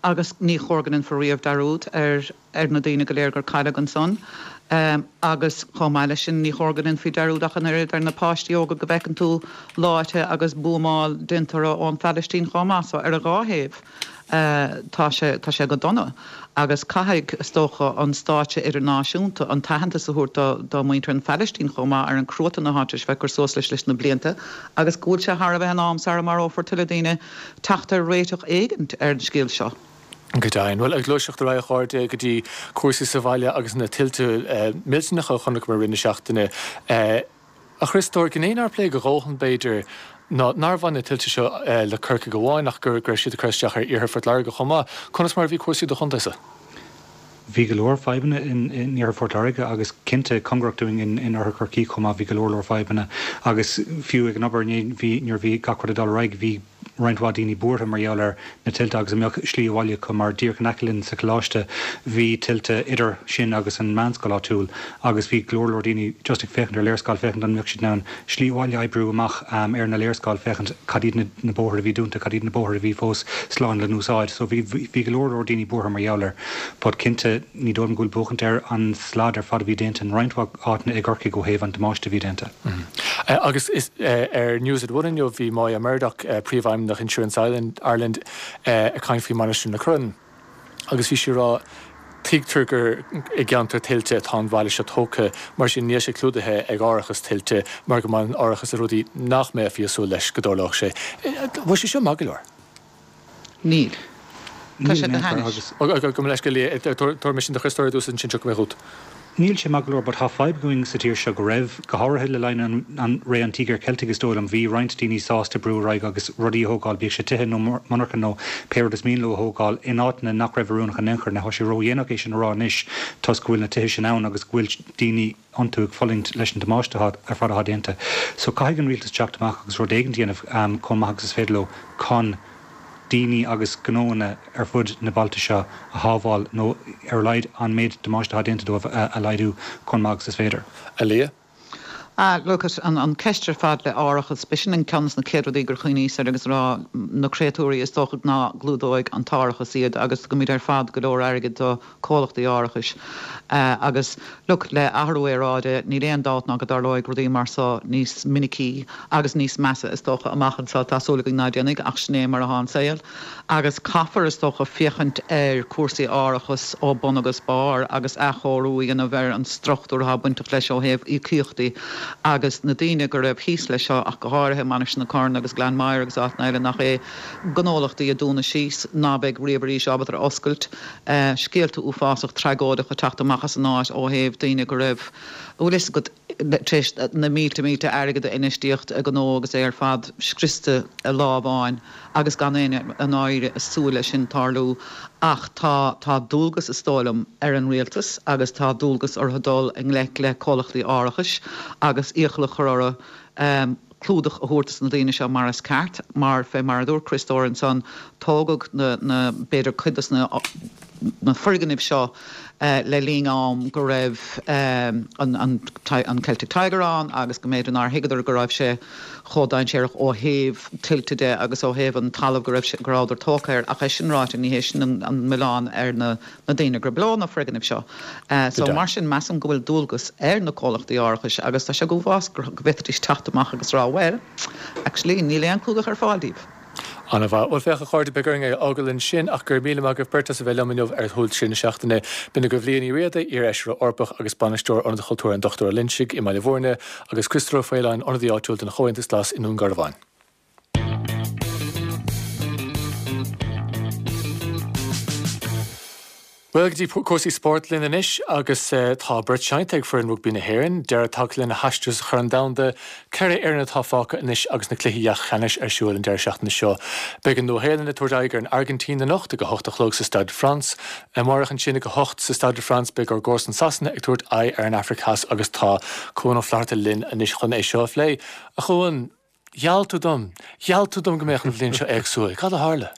agus ní chóir go ndéanfar riamh dearúd ar ar na daoine go léir gur cailleadh ansan. Agus chomh maith leis sin, ní chóir go ndéanfaí dearúd ach an oiread ar na páistí óga go bhfeiceann tú leáite agus buamáil déanta orthu ón Phalaistín chomh maith. So ar an dhá thaobh, tá sé, tá sé go dona. Agus caithfidh, is dócha, an stáitse idirnáisiúnta an t-aitheantas a thabhairt do, do mhuintir an Phalaistín chomh maith ar an cruatan atá tar éis bheith ag cur suas leis leis na blianta agus go bhfuil sé thar a bheith in am, sara marófar tuilleadh daoine, teacht ar réiteach éigint ar an scéal seo. Go deimhin. Bhuel, ag gluaiseacht ar aghaidh a chairde go dtí cúrsaí sa bhaile agus na tuilte millteanacha a chonaiceamar i rith na seachtaine. A Chriostóir, gné nár pléadh a dhóthain, b'fhéidir, ná nár bhain na tuilte seo le Corcaigh amháin ach go raibh siad ag cur isteach ar iarthar Phort Láirge chomh maith. Conas mar a bhí cúrsaí i do chontae-sa? Bhí go leor fadhbanna in iarthar Phort Láirge agus cinnte cóngarach dúinn in oirthear Chorcaí chomh maith bhí go leor leor fadhbanna agus fiú ag an obair inné bhí nuair a bhí gach rud ag dul ar aghaidh bhí roinnt mhaith daoine buartha mar gheall ar na tuilte agus an mbeadh slí abhaile acu mar díreach in aice linn sa choláiste bhí tuilte idir sin agus an meánscoil áitiúil agus bhí go leor leor daoine just ag féachaint ar léarscáil féachaint an mbeadh siad in ann slí abhaile a oibriú amach ar na léarscáil féachaint cad iad na bóithre a bhí dúnta cad iad na bóithre a bhí fós slán le n-úsáid so bhí bhí go leor leor daoine buartha mar gheall air but cinnte ní dóigh liom go bhfuil buachaint ar an slad ar fad a bhí déanta in roinnt mhaith áiteanna i gCorcaigh ó thaobh an damáiste a bhí déanta. Agus is ar News at One inniu bhí Moya Murdock, Príomhfheidhmeannach Insurance Ireland ag caint faoi Mainistir na Corann agus bhí sí ag rá tuigtear gur i gceantar tuilte atá an bhaile seo tógtha, mar sin níl sé clúdaithe ag árachas tuilte mar go mbaineann árachas le rudaí nach mbeifí ag súil leis go dtarlódh sé. Bhfuil sé seo maith go leor? Níl. Tá sé go hainnis. Gabh mo leithscéal, tabharfaidh mé sin do Chriostóir ar dtús ansin tiocfaidh mé chugat. Níl sé maith go leor but tá fadhb againn sa tír seo go raibh, go háirithe le linn an ré an Tíogair Cheiltigh is dóigh liom, bhí roinnt daoine sásta brú ar aghaidh agus rudaí a thógáil, bíodh sé tithe nó monarcha nó pé rud is mian leo a thógáil, in áiteanna nach raibh oiriúnach in aon chor. Now tá sé ródhéanach é sin a rá anois toisc go bhfuil na tithe sin ann agus go bhfuil daoine iontu ag fulaingt leis an damáiste ar fad atá déanta. So caithfidh an rialtas teacht amach agus rud éigin a dhéanamh chomh maith agus is féidir leo chun daoine agus gnóanna ar fud na bailte seo a shábháil nó ar a laghad an méid damáiste atá déanta dóibh a laghdú chomh maith agus is féidir. A Liadh? Ah, look, an, an ceist ar fad le árachas, b'shin an ceann de na chéad rudaí gur chuimhníos air agus rá na créatúirí is dócha ná gclúdóidh an t-árachas iad agus tugaimid ar fad go leor airgid do comhlachtaí árachais. Uh, agus look, le athrú aeráide níl aon dabht ná go dtarlóidh rudaí mar seo níos minicí agus níos measa is dócha amach anseo tá súil againn ná déanfaidh ach sin é mar atá an saol. Agus caithfear is dócha féachaint ar cúrsaí árachas ó bun agus barr agus athchóiriú a dhéanamh ar an struchtúr atá bainteach leis ó thaobh íocaíochtaí agus na daoine go raibh thíos leis seo ach go háirithe Mainistir na Corann agus Gleann Maghair agus áiteanna eile nach é gnólachtaí a dúnadh síos ná beidh riamh arís ábalta ar oscailt uh, scéalta uafásach tragóideach a teacht amach as an áit ó thaobh daoine go raibh bhfuil go tréis na mílte mílte airgead a infheistíocht a gnó agus é ar fad scriosta i lá amháin agus gan aon an áire a súil leis sin tarlú ach tá tá dualgas is dóigh liom ar an rialtas agus tá dualgas orthu dul i ngleic le comhlachtaí árachais agus iachall a chur orthu um, clúdach a thabhairt na daoine seo mar is ceart mar fé mar a dúirt Criostóir ansan tógadh na, na b'fhéidir cuid des na na foirgnimh seo uh, le linn am go raibh um, an, an, an Celtic Tiger ann agus go mb'fhéidir nár thuigeadar go raibh sé chomh dainséarach ó thaobh tuilte de agus ó thaobh an talamh go raibh go rabhadar tógtha air ach é sin ráite ní hé sin an, an milleán ar na, na daoine gur leo na foirgnimh seo. Uh, so mar sin measaim go bhfuil dualgas ar na comhlachtaí árachais agus tá sé go bhfás go bhféadfaidís teacht amach agus rá well, actually níl aon clúdach ar fáil daoibh. An-mhaith bhuel féach a chairde beidh orainn é a fhágáil ansin ach gur míle maith agaibh beirt as a bheith liom inniu ar Shúil Trí na Seachtaine. B'in agaibh Liadh Ní Riada, iar-fheisire Eorpach agus bainisteoir Ionad Chultúir an Dochtúir Ó Loingsigh i mBaile Bhúirne agus Criostóir Ó Faoláin ionadaí áitiúil den Chomhaontas Glas i nDún Garbhán. Bhuel go dtí cúrsaí spóirt linn anois agus tá beart seinnte ag foireann rugbaí na hÉireann, deireadh tagtha lena haistear sa Chorn Domhanda, ceithre fhoireann atá fágtha anois agus na cluichí leathcheannais ar siúl an deireadh seachtaine seo. Beidh an Nua-Shéalainn ag tabhairt aghaidh ar an Airgintín anocht ag a hocht a chlog sa Stade de France. Amárach ansin ag a hocht sa Stade de France beidh ár gcomharsain Sasana ag tabhairt aghaidh ar an Afraic Theas agus tá Cuan Ó Flatharta linn anois chun é seo a phlé. A Chuain, gheall tú dom, gheall tú dom go mbeadh an bhliain seo éagsúil. Cad a tharla?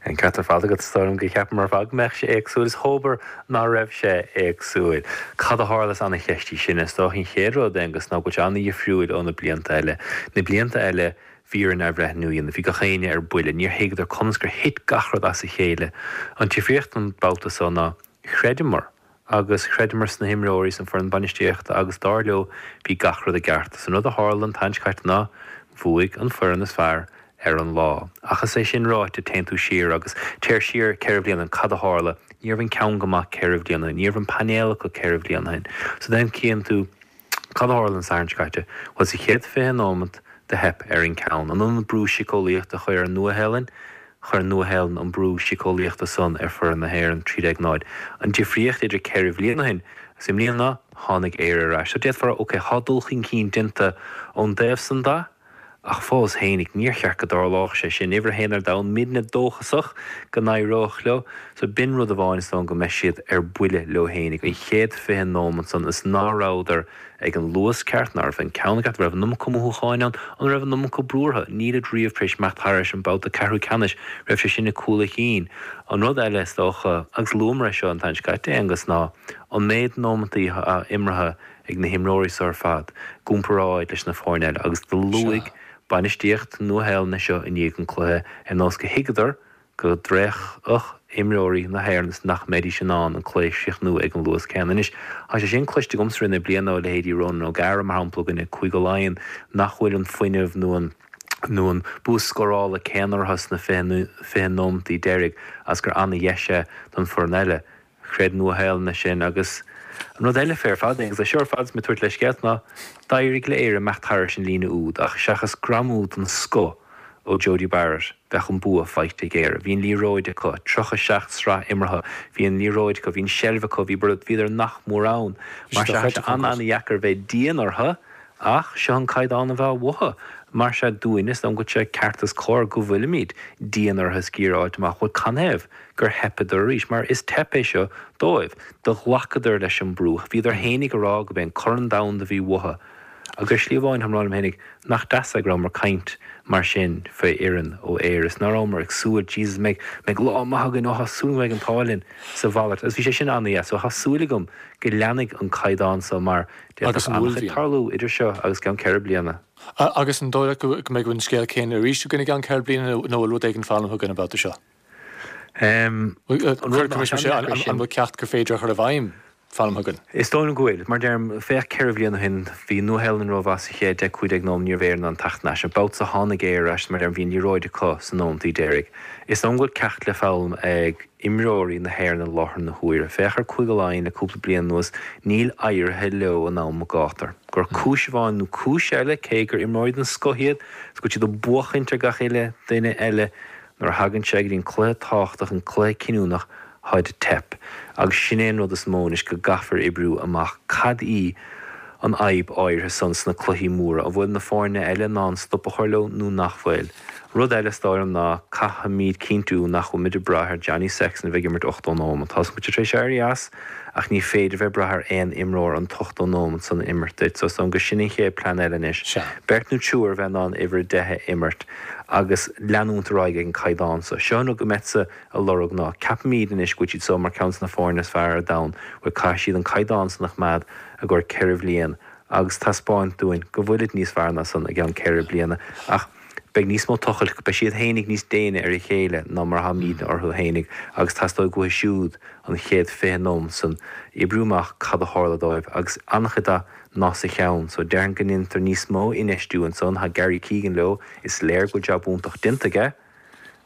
An ceart ar fad agat is dóigh liom gur cheapamar ar fad go mbeadh sé éagsúil is dhóbair ná raibh sé éagsúil. Cad a tharla is an-cheist í sin is dócha an chéad rud Aonghus ná go bhfuil sé an-dhifriúil ó na blianta eile. Na blianta eile bhí orainn athbhreithniú a dhéanamh, bhí gach éinne ar buile, níor thuigeadar conas gur thit gach rud as a chéile. An difríocht an babhta seo ná chreideamar agus chreideamar sna himreoirí, san foireann bainistíochta agus dar leo bhí gach rud i gceart. Is an rud a tharla an tseachtain seo caite ná bhuaigh an foireann is fearr ar an lá. Ach is é sin ráite, téann tú siar agus téir siar ceithre bliana, cad a tharla? Ní raibh an ceann go maith ceithre bliana, ní raibh an painéal acu ceithre bliana ó shin. So then cíonn tú cad a tharla an Satharn seo caite? Bhuel sa chéad fiche nóimeat do theip ar an ceann. In ionad brú síceolaíochta a chur ar an Nua-Shéalainn, chuir an Nua-Shéalainn an brú síceolaíochta san ar foireann na hÉireann, trí déag náid. An difríocht idir ceithre bhliain ó shin agus i mbliana ná tháinig Éire ar ais. So d'fhéadfá a rá, ok, tá dul chun cinn déanta ón dtaobh san de, Ach fós fhéinig, níor cheart go dtarlódh sé sin. Uimhir a haon ar domhan, muidne dóchasach go n-éireodh leo. So b'in rud amháin is dóigh go mbeidh siad ar buile leo fhéinig. An chéad fiche nóimeat san is ná rabhadar ag an luas ceart, ná raibh an ceann ceart, an raibh an iomarca mothúcháin ann, an raibh an iomarca brú orthu. Nílid riamh tar éis imeacht thairis an babhta ceathrú ceannais, raibh sé sin ag cúl a chinn. An rud eile is dócha, agus luamar é seo an tseachtain seo caite, Aonghus, ná an méid nóimeataí atá imeartha ag na himreoirí seo ar fad i gcomparáid leis na foirne eile agus do luaigh bainistíocht Nua-Shéalainne seo i ndiaidh an cluiche ar nós go thuigeadar go dtraochfadh imreoirí na hÉireann is nach mbeidís in ann an cluiche a chríochnú ag an luas céanna. Anois, tá sé sin cloiste agamsa i rith na bliana ó leithéidí Ronan O'Gara, mar shampla, i gcoinne Cúige Laighean, nach bhfuil an fuinneamh nó an nó an bua scórála céanna orthu sna fiche nóimeataí deiridh agus gur ana-dheis é don foireann eile. Chreid Nua-Shéalainn é sin agus an rud eile fé ar fad, agus é seo ar fad is mé ag tabhairt leithscéalta, ná d'éirigh le Éire imeacht thairis an líne úd ach seachas greamú den scoth ó Jodie Barrett, bheadh an bua faighte ag Éire. Bhí an liathróid acu, tríocha seacht sraith imeartha, bhí an liathróid acu, bhí an seilbh acu, bhí bhíodar nach mór ann. Mar sea, tá sé an-an-dheacair bheith dian orthu ach seo an caighdeán a bheadh uathu. Mar sea dúinne, is dóigh liom go bhfuil sé ceart is cóir go bhfuilimid dian orthu is ag iarraidh a fháilt amach, bhuel, canathaobh gur theipeadar arís? Mar is teip é seo dóibh. Do ghlacadar leis an brú. Bhíodar fhéinig a rá go b'é an Corn Domhanda a bhí uathu. Agus ar shlí amháin, táim ag rá liom fhéinig, nach deas é go rabhamar ag caint mar sin faoi fhoireann ó Éire is nach rabhamar ag súil, Jesus, mbeidh, mbeidh lá maith againn, ó tá súil go mbeidh an t-ádh linn sa mhalairt. Agus bhí sé sin an-dheas. So tá súil agam go leanfaidh an caighdeán so mar Agus d'fhéadfadh an an-chuid uaillmhian. tarlú idir seo agus ceann ceithre bliana. Agus an dóigh leat go mbeidh an scéal céanna arís againn i gceann ceithre bliana nó bhfuil rud éigin foghlamtha againn an babhta seo? An rud An bhfuil ceacht gur féidir a chur i bhfeidhm foghlamtha againn? Is dóigh liom go bhfuil. Mar deirim, féach ceithre bhliain ó shin, bhí Nua-Shéalainn rómhaith sa chéad deich, cúig déag nóiméad, ní raibh Éire in ann teacht ar ais. An babhta seo tháinig Éire ar ais, mar deirim, bhí an liathróid acu sna nóimeataí deiridh. Is dóigh liom go bhfuil ceacht le foghlaim ag imreoirí na hÉireann i láthair na huaire. Féach ar Cúige Laighean le cúpla bliain anuas, níl éirithe leo in am gátair. Gur cúis amháin nó cúis eile, cé gur imreoirí den scoth iad, is go bhfuil siad ag buachaint ar gach uile duine eile, nuair a thagann sé go dtí an cluiche tábhachtach, an cluiche cinniúnach, táid ag teip. Agus sin é an rud is mó anois, go gcaithfear oibriú amach cad í an fhadhb áirithe san sna cluichí móra, an bhfuil na foirne eile in ann stop a chur leo nó nach bhfuil. Rud eile is dóigh liom ná caithfimid cinntiú nach bhfuilimid ag brath ar Johnny Sexton a bheith ag imirt ochtó nóiméad. Tá a fhios agam go bhfuil sé tar éis éirí as ach ní féidir bheith ag brath ar aon imreoir an t-ochtó nóiméad san a imirt duit. So is dóigh liom gur sin an chéad plean eile anois. Sea. Beirt nó triúr a bheith in ann uimhir a deich a imirt agus leanúint ar aghaidh ag an caighdeán so. Seo an rud go mbeadsa ag lorg ná ceapaimid anois go bhfuil siad so mar ceann de na foirne is fearr ar domhan, bhuel caithfidh siad an caighdeán san a choimeád i gcomhair ceithre bhliain agus taispeáint dúinn go bhfuilid níos fearr ná san i gceann ceithre bliana. Ach beidh níos mó tochailt, beidh siad fhéinig níos déine ar a chéile ná mar atháimidne orthu fhéinig agus teastóidh uathu siúd an chéad fiche nóiméad san oibriú amach cad a tharla dóibh agus an-chuid de ná sa cheann. So déarfainn go ndéantar níos mó infheistiú ansan. Tá Gary Keegan leo, is léir go bhfuil jab iontach déanta aige.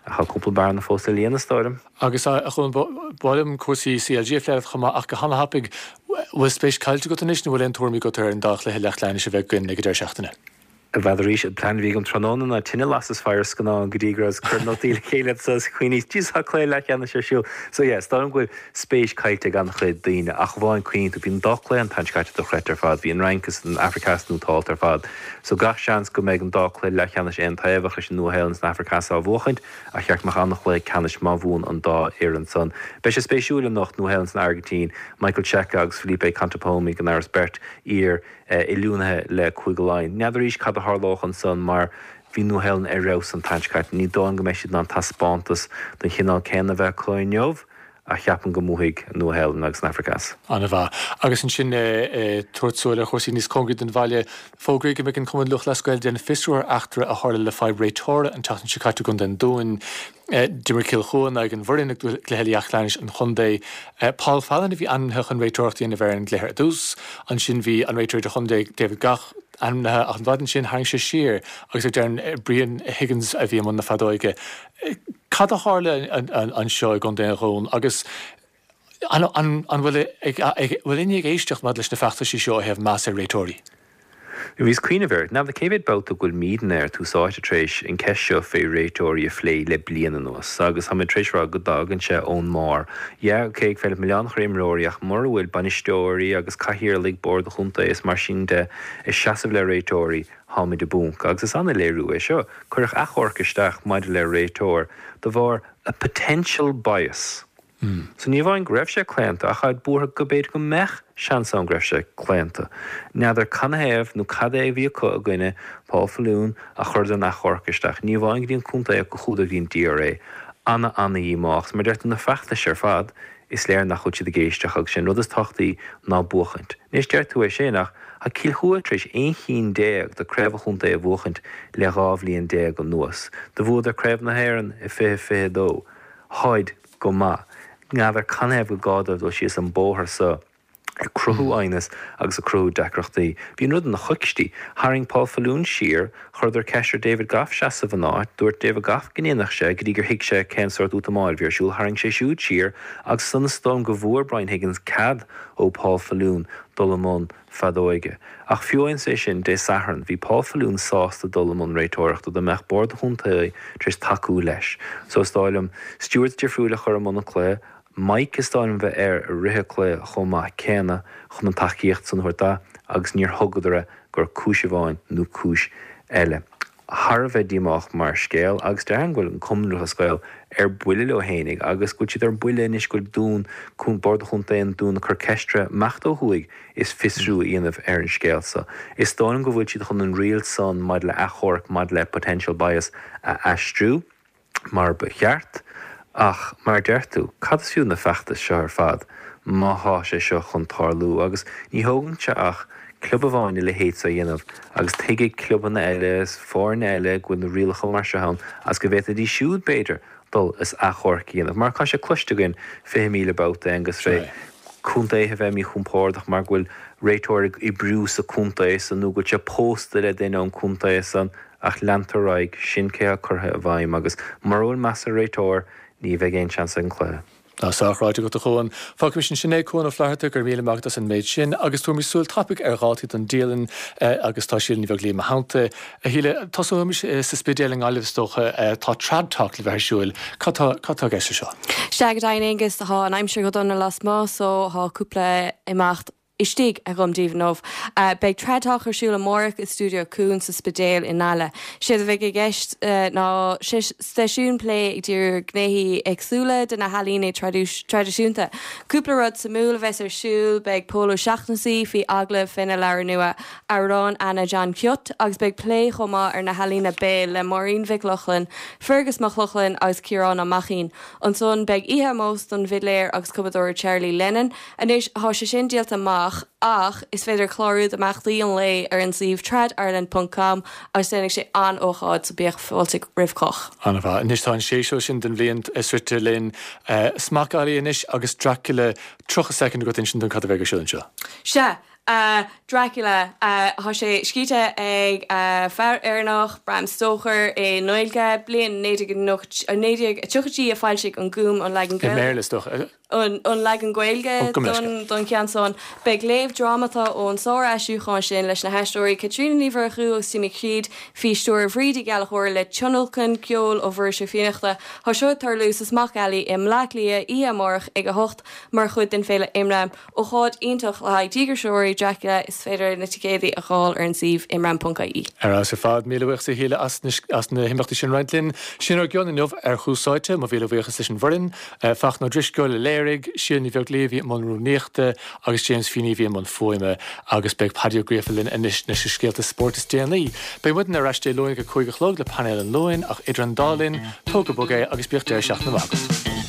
Ach tá cúpla bearna fós le líonadh, is dóigh liom. Agus a Chuain, ba mhaith liom cúrsaí C L G a phlé leat chomh maith ach go han-thapaidh, bhfuil spéis caillte agat anois nó bhfuil aon tuairimí agat ar an dá chluiche leathcheannais a bheidh againn ag an deireadh seachtaine? N'fheadar arís, an plean a bhí agam tráthnóna ná tine a lasadh is faire ar scannán go dtí go rabhas ag cur nótaí le chéile so is cuimhníos, Jesus tá cluiche leathcheannais ar siúl. So yeah, is dóigh liom go bhfuil spéis caillte ag an-chuid daoine ach amháin cuimhníonn tú, bhí an dá chluiche an tseachtain seo caite dochreidte ar fad, bhí an Fhrainc is an Afraic Theas nótálta ar fad. So gach seans go mbeidh an dá chluiche leathcheannais aontaobhach leis an Nua-Shéalainn is an Afraic Theas á bhuachaint ach cheart go mbeadh an-chluiche ceannais má bhuann an dá fhoireann san. Beidh sé spéisiúil anocht, Nua-Shéalainn is an Airgintín, Michael Cheika agus Felipe Contepomi gan amhras beirt iar oiliúnaithe le Cúige Laighean. N'fheadar arís cad a tharlódh ansan mar bhí Nua-Shéalainn ar fheabhas an tseachtain seo caite. Ní dóigh liom go mbeidh siad in ann taispeántas den chineál céanna a bheith acu inniu ach cheapfainn go mbuafaidh Nua-Shéalainn agus an Afraic Theas. An-mhaith. Agus ansin tabhairt súil ar chúrsaí níos cóngaraí don bhaile, fógraíodh go mbeidh an Cumann Lúthchleas Gael ag déanamh fiosrú ar eachtra a tharla le fadhb réiteora an tseachtain seo caite i gContae an Dúin. D'imir Cill Chua in aghaidh an Bhoirinn i gcluiche leathcheannais an chontae. Paul Fallon a bhí ainmnithe chun réiteoireacht a dhéanamh ar an gcluiche ar dtús. Ansin bhí an réiteoir idirchontae David Gough ainmnithe ach an mhaidin sin tharraing sé siar agus ar deireadh Brian Higgins a bhí i mbun na feadóige. Cad a tharla anseo i gContae an Dúin agus an bhfuil bhfuil éinne ag éisteacht maidir leis na feachtaisí seo ó thaobh meas ar réiteoirí? Bhíos ag cuimhneamh air, n'fheadar cé mhéad babhta go bhfuil ar Tús Áite tar éis an ceist seo fé réiteoirí a phlé le bliain anuas agus tá mé tar éis rá go dtagann sé ón mbarr. Yeah, ok, ag féidir milleán a chur ar imreoirí ach mura bhfuil bainisteoirí agus cathaoirligh bord an chontae is mar sin de ag seasamh le réiteoirí, táimid i bponc. Agus is an-léiriú é seo. Cuireadh achomharc isteach maidir le réiteoir de bharr a potential bias. So ní amháin go raibh sé claonta ach táid buartha go b'fhéidir go mbeadh seans ann go raibh sé claonta. N'fheadar canathaobh nó cad é a bhí acu i gcoinne Paul Faloon ach chuireadar an achomharc isteach. Ní amháin go dtí an contae ach go chuadar go dtí an D R A. Ana ana-dhíomách. Is mar deir tú na feachtais ar fad is léir nach bhfuil siad ag éisteacht agus sé an rud is tábhachtaí ná buachaint. Anois deir tú é sin ach tá Cill Chua tar éis aon chinn déag de craobh an chontae a bhuachaint le dhá bhliain déag anuas. Do bhuadar Craobh na hÉireann i fiche fiche dó. Táid go maith. N'fheadar canathaobh gur gá dóibh dul síos an bóthar so ag cruthú aighneas agus ag cruthú deacrachtaí. Bhí an rud ina choicstí. Tharraing Paul Faloon siar, chuireadar ceist ar David Gough seasamh ina áit, dúirt David Gough go ndéanfadh sé go dtí gur thuig sé cén sórt útamáil a bhí ar siúl, tharraing sé siúd siar agus ansan is dóigh liom go bhfuair Brian Higgins cead ó Paul Faloon dul i mbun feadóige. Ach fiú amháin é sin, Dé Sathairn, bhí Paul Faloon sásta dul i mbun réiteoireachta dá mbeadh bord an chontae tar éis tacú leis. So is dóigh liom stewards difriúil a chur i mbun an chluiche, mic is dóigh liom bheith air i rith an chluiche chomh maith céanna chun an tacaíocht san a thabhairt do agus níor thugadar é gur cúis amháin nó cúis eile. thar a bheith díomách mar scéal agus déarfainn go bhfuil an Cumann Lúthchleas Gael ar buile leo fhéinig agus go bhfuil siad ar buile anois go bhfuil Dún, Bord Chontae an Dúin ag cur ceist orthu imeacht ó thuaidh is fiosrú a dhéanamh ar an scéal so. Is dóigh liom go bhfuil siad chun an riail san maidir le achomharc maidir le potential bias a aistriú mar ba cheart ach mar a deir tú, cad is fiú na feachtais seo ar fad má thá sé seo chun tarlú agus ní thógann sé ach club amháin a leithéid so a dhéanamh agus tuigfidh clubanna eile is foirne eile go bhfuil na rialacha mar seo ann agus go bhféadfaidís siúd b'fhéidir dul is achomharc a dhéanamh mar tá sé cloiste againn fiche míle babhta agus fé contaetha bheith míchompordach mar go bhfuil réiteoir ag oibriú sa chontae san nó go bhfuil sé pósta le duine ón chontae san ach leantar ar aghaidh, sin cé atá curtha i bhfeidhm agus mura bhfuil meas ar réiteoir ní bheidh aon seans ag an chluiche. Tá sách ráite agat a Chuan. Fágaimis ansin é, Cuan Ó Flatharta, go raibh míle maith agat as an méid sin agus tabharaimis súil tapaidh ar dhátaí don dialann agus tá Síle Ní Bheaglaoich i mo theannta. A Shíle, tosóimis sa Spidéal i nGaillimh is dócha. Tá Trad Talk le bheith ar siúil. Cad tá cad tá i gceist leis seo? Sea, go deimhin Aengus, tá an aimsir go dona lasmuigh so tá cúpla imeacht istigh agam daoibh inniu. Beidh Trad Talk ar siúl amárach i Stiúideo Cuan sa Spidéal i nGaillimh. Séard a bheidh i gceist ná seisiún plé ag díriú ar ghnéithe éagsúla de na healaíona traidisiúnta. Cúpla rud suimiúil a bheas ar siúl, beidh Pól Ó Seachnasaigh faoi agallamh féna leabhar nua Amhrán Anna John Kiot agus beidh plé chomh maith ar na healaíona béil le Máirín Mhic Lochlainn, Fergus Mac Lochlainn agus Ciarán Ó Maicín. Ansan beidh oíche ómóis don bhfidléir agus cumadóir Charlie Lennon. Anois, thá sé sin díolta amach ach is féidir clárú d'imeachtaí an lae ar an suíomh tradireland ponc com agus déanfaidh sé an-ócáid so bíodh fáilte roimh chách. An-mhaith. Anois tá an séasúr sin den bhliain sroichte linn. Smock Alley anois agus Dracula. Tríocha soicind agat insint dúinn cad a bheidh ar siúl anseo. Sea. Dracula. Tá sé scríte ag fear Éireannach, Bram Stoker, i nGaeilge, bliain naoi déag naoi déag tríochaidí a foilsigh an Gúm an leagan I mBéarla is dócha. an leagan Gaeilge don cheann san. Beidh léamh drámata ón sár-aistriúchán sin leis na haisteoirí Caitríona Ní Mhurchú agus Timmy Creed faoi stiúir Bhríd Uí Ghallchóir le tionlacan ceoil ó Mhuiris Ó Fiannachta. Tá seo ag tarlú sa Smock Alley i mBleá Cliath oíche amárach ag a hocht mar chuid den Féile Imram. Ócáid iontach le haghaidh díograiseoirí Dracula, is féidir na ticéadaí a dh'fháil ar an suíomh imram.ie. Ar fheabhas ar fad. Míle buíochas a Shíle as as na himeachtaí sin a roinnt linn. Sin ár gcion inniu ar Thús Áite. Mo mhíle buíochas leis an bhfoireann, Fachtna Ó Drisceoil a léirigh, Síle Ní Bheaglaoich a bhí i mbun rúnaíochta agus James Feeney a bhí i mbun fuaime. Agus beidh Paddy Ó Gríofa linn anois leis na scéalta spóirt is déanaí. Beidh muidne ar ais Dé Luain ag a cúig a chlog le Painéal an Luain ach idir an dá linn, tóg go bog é agus bíodh deireadh seachtaine maith agat.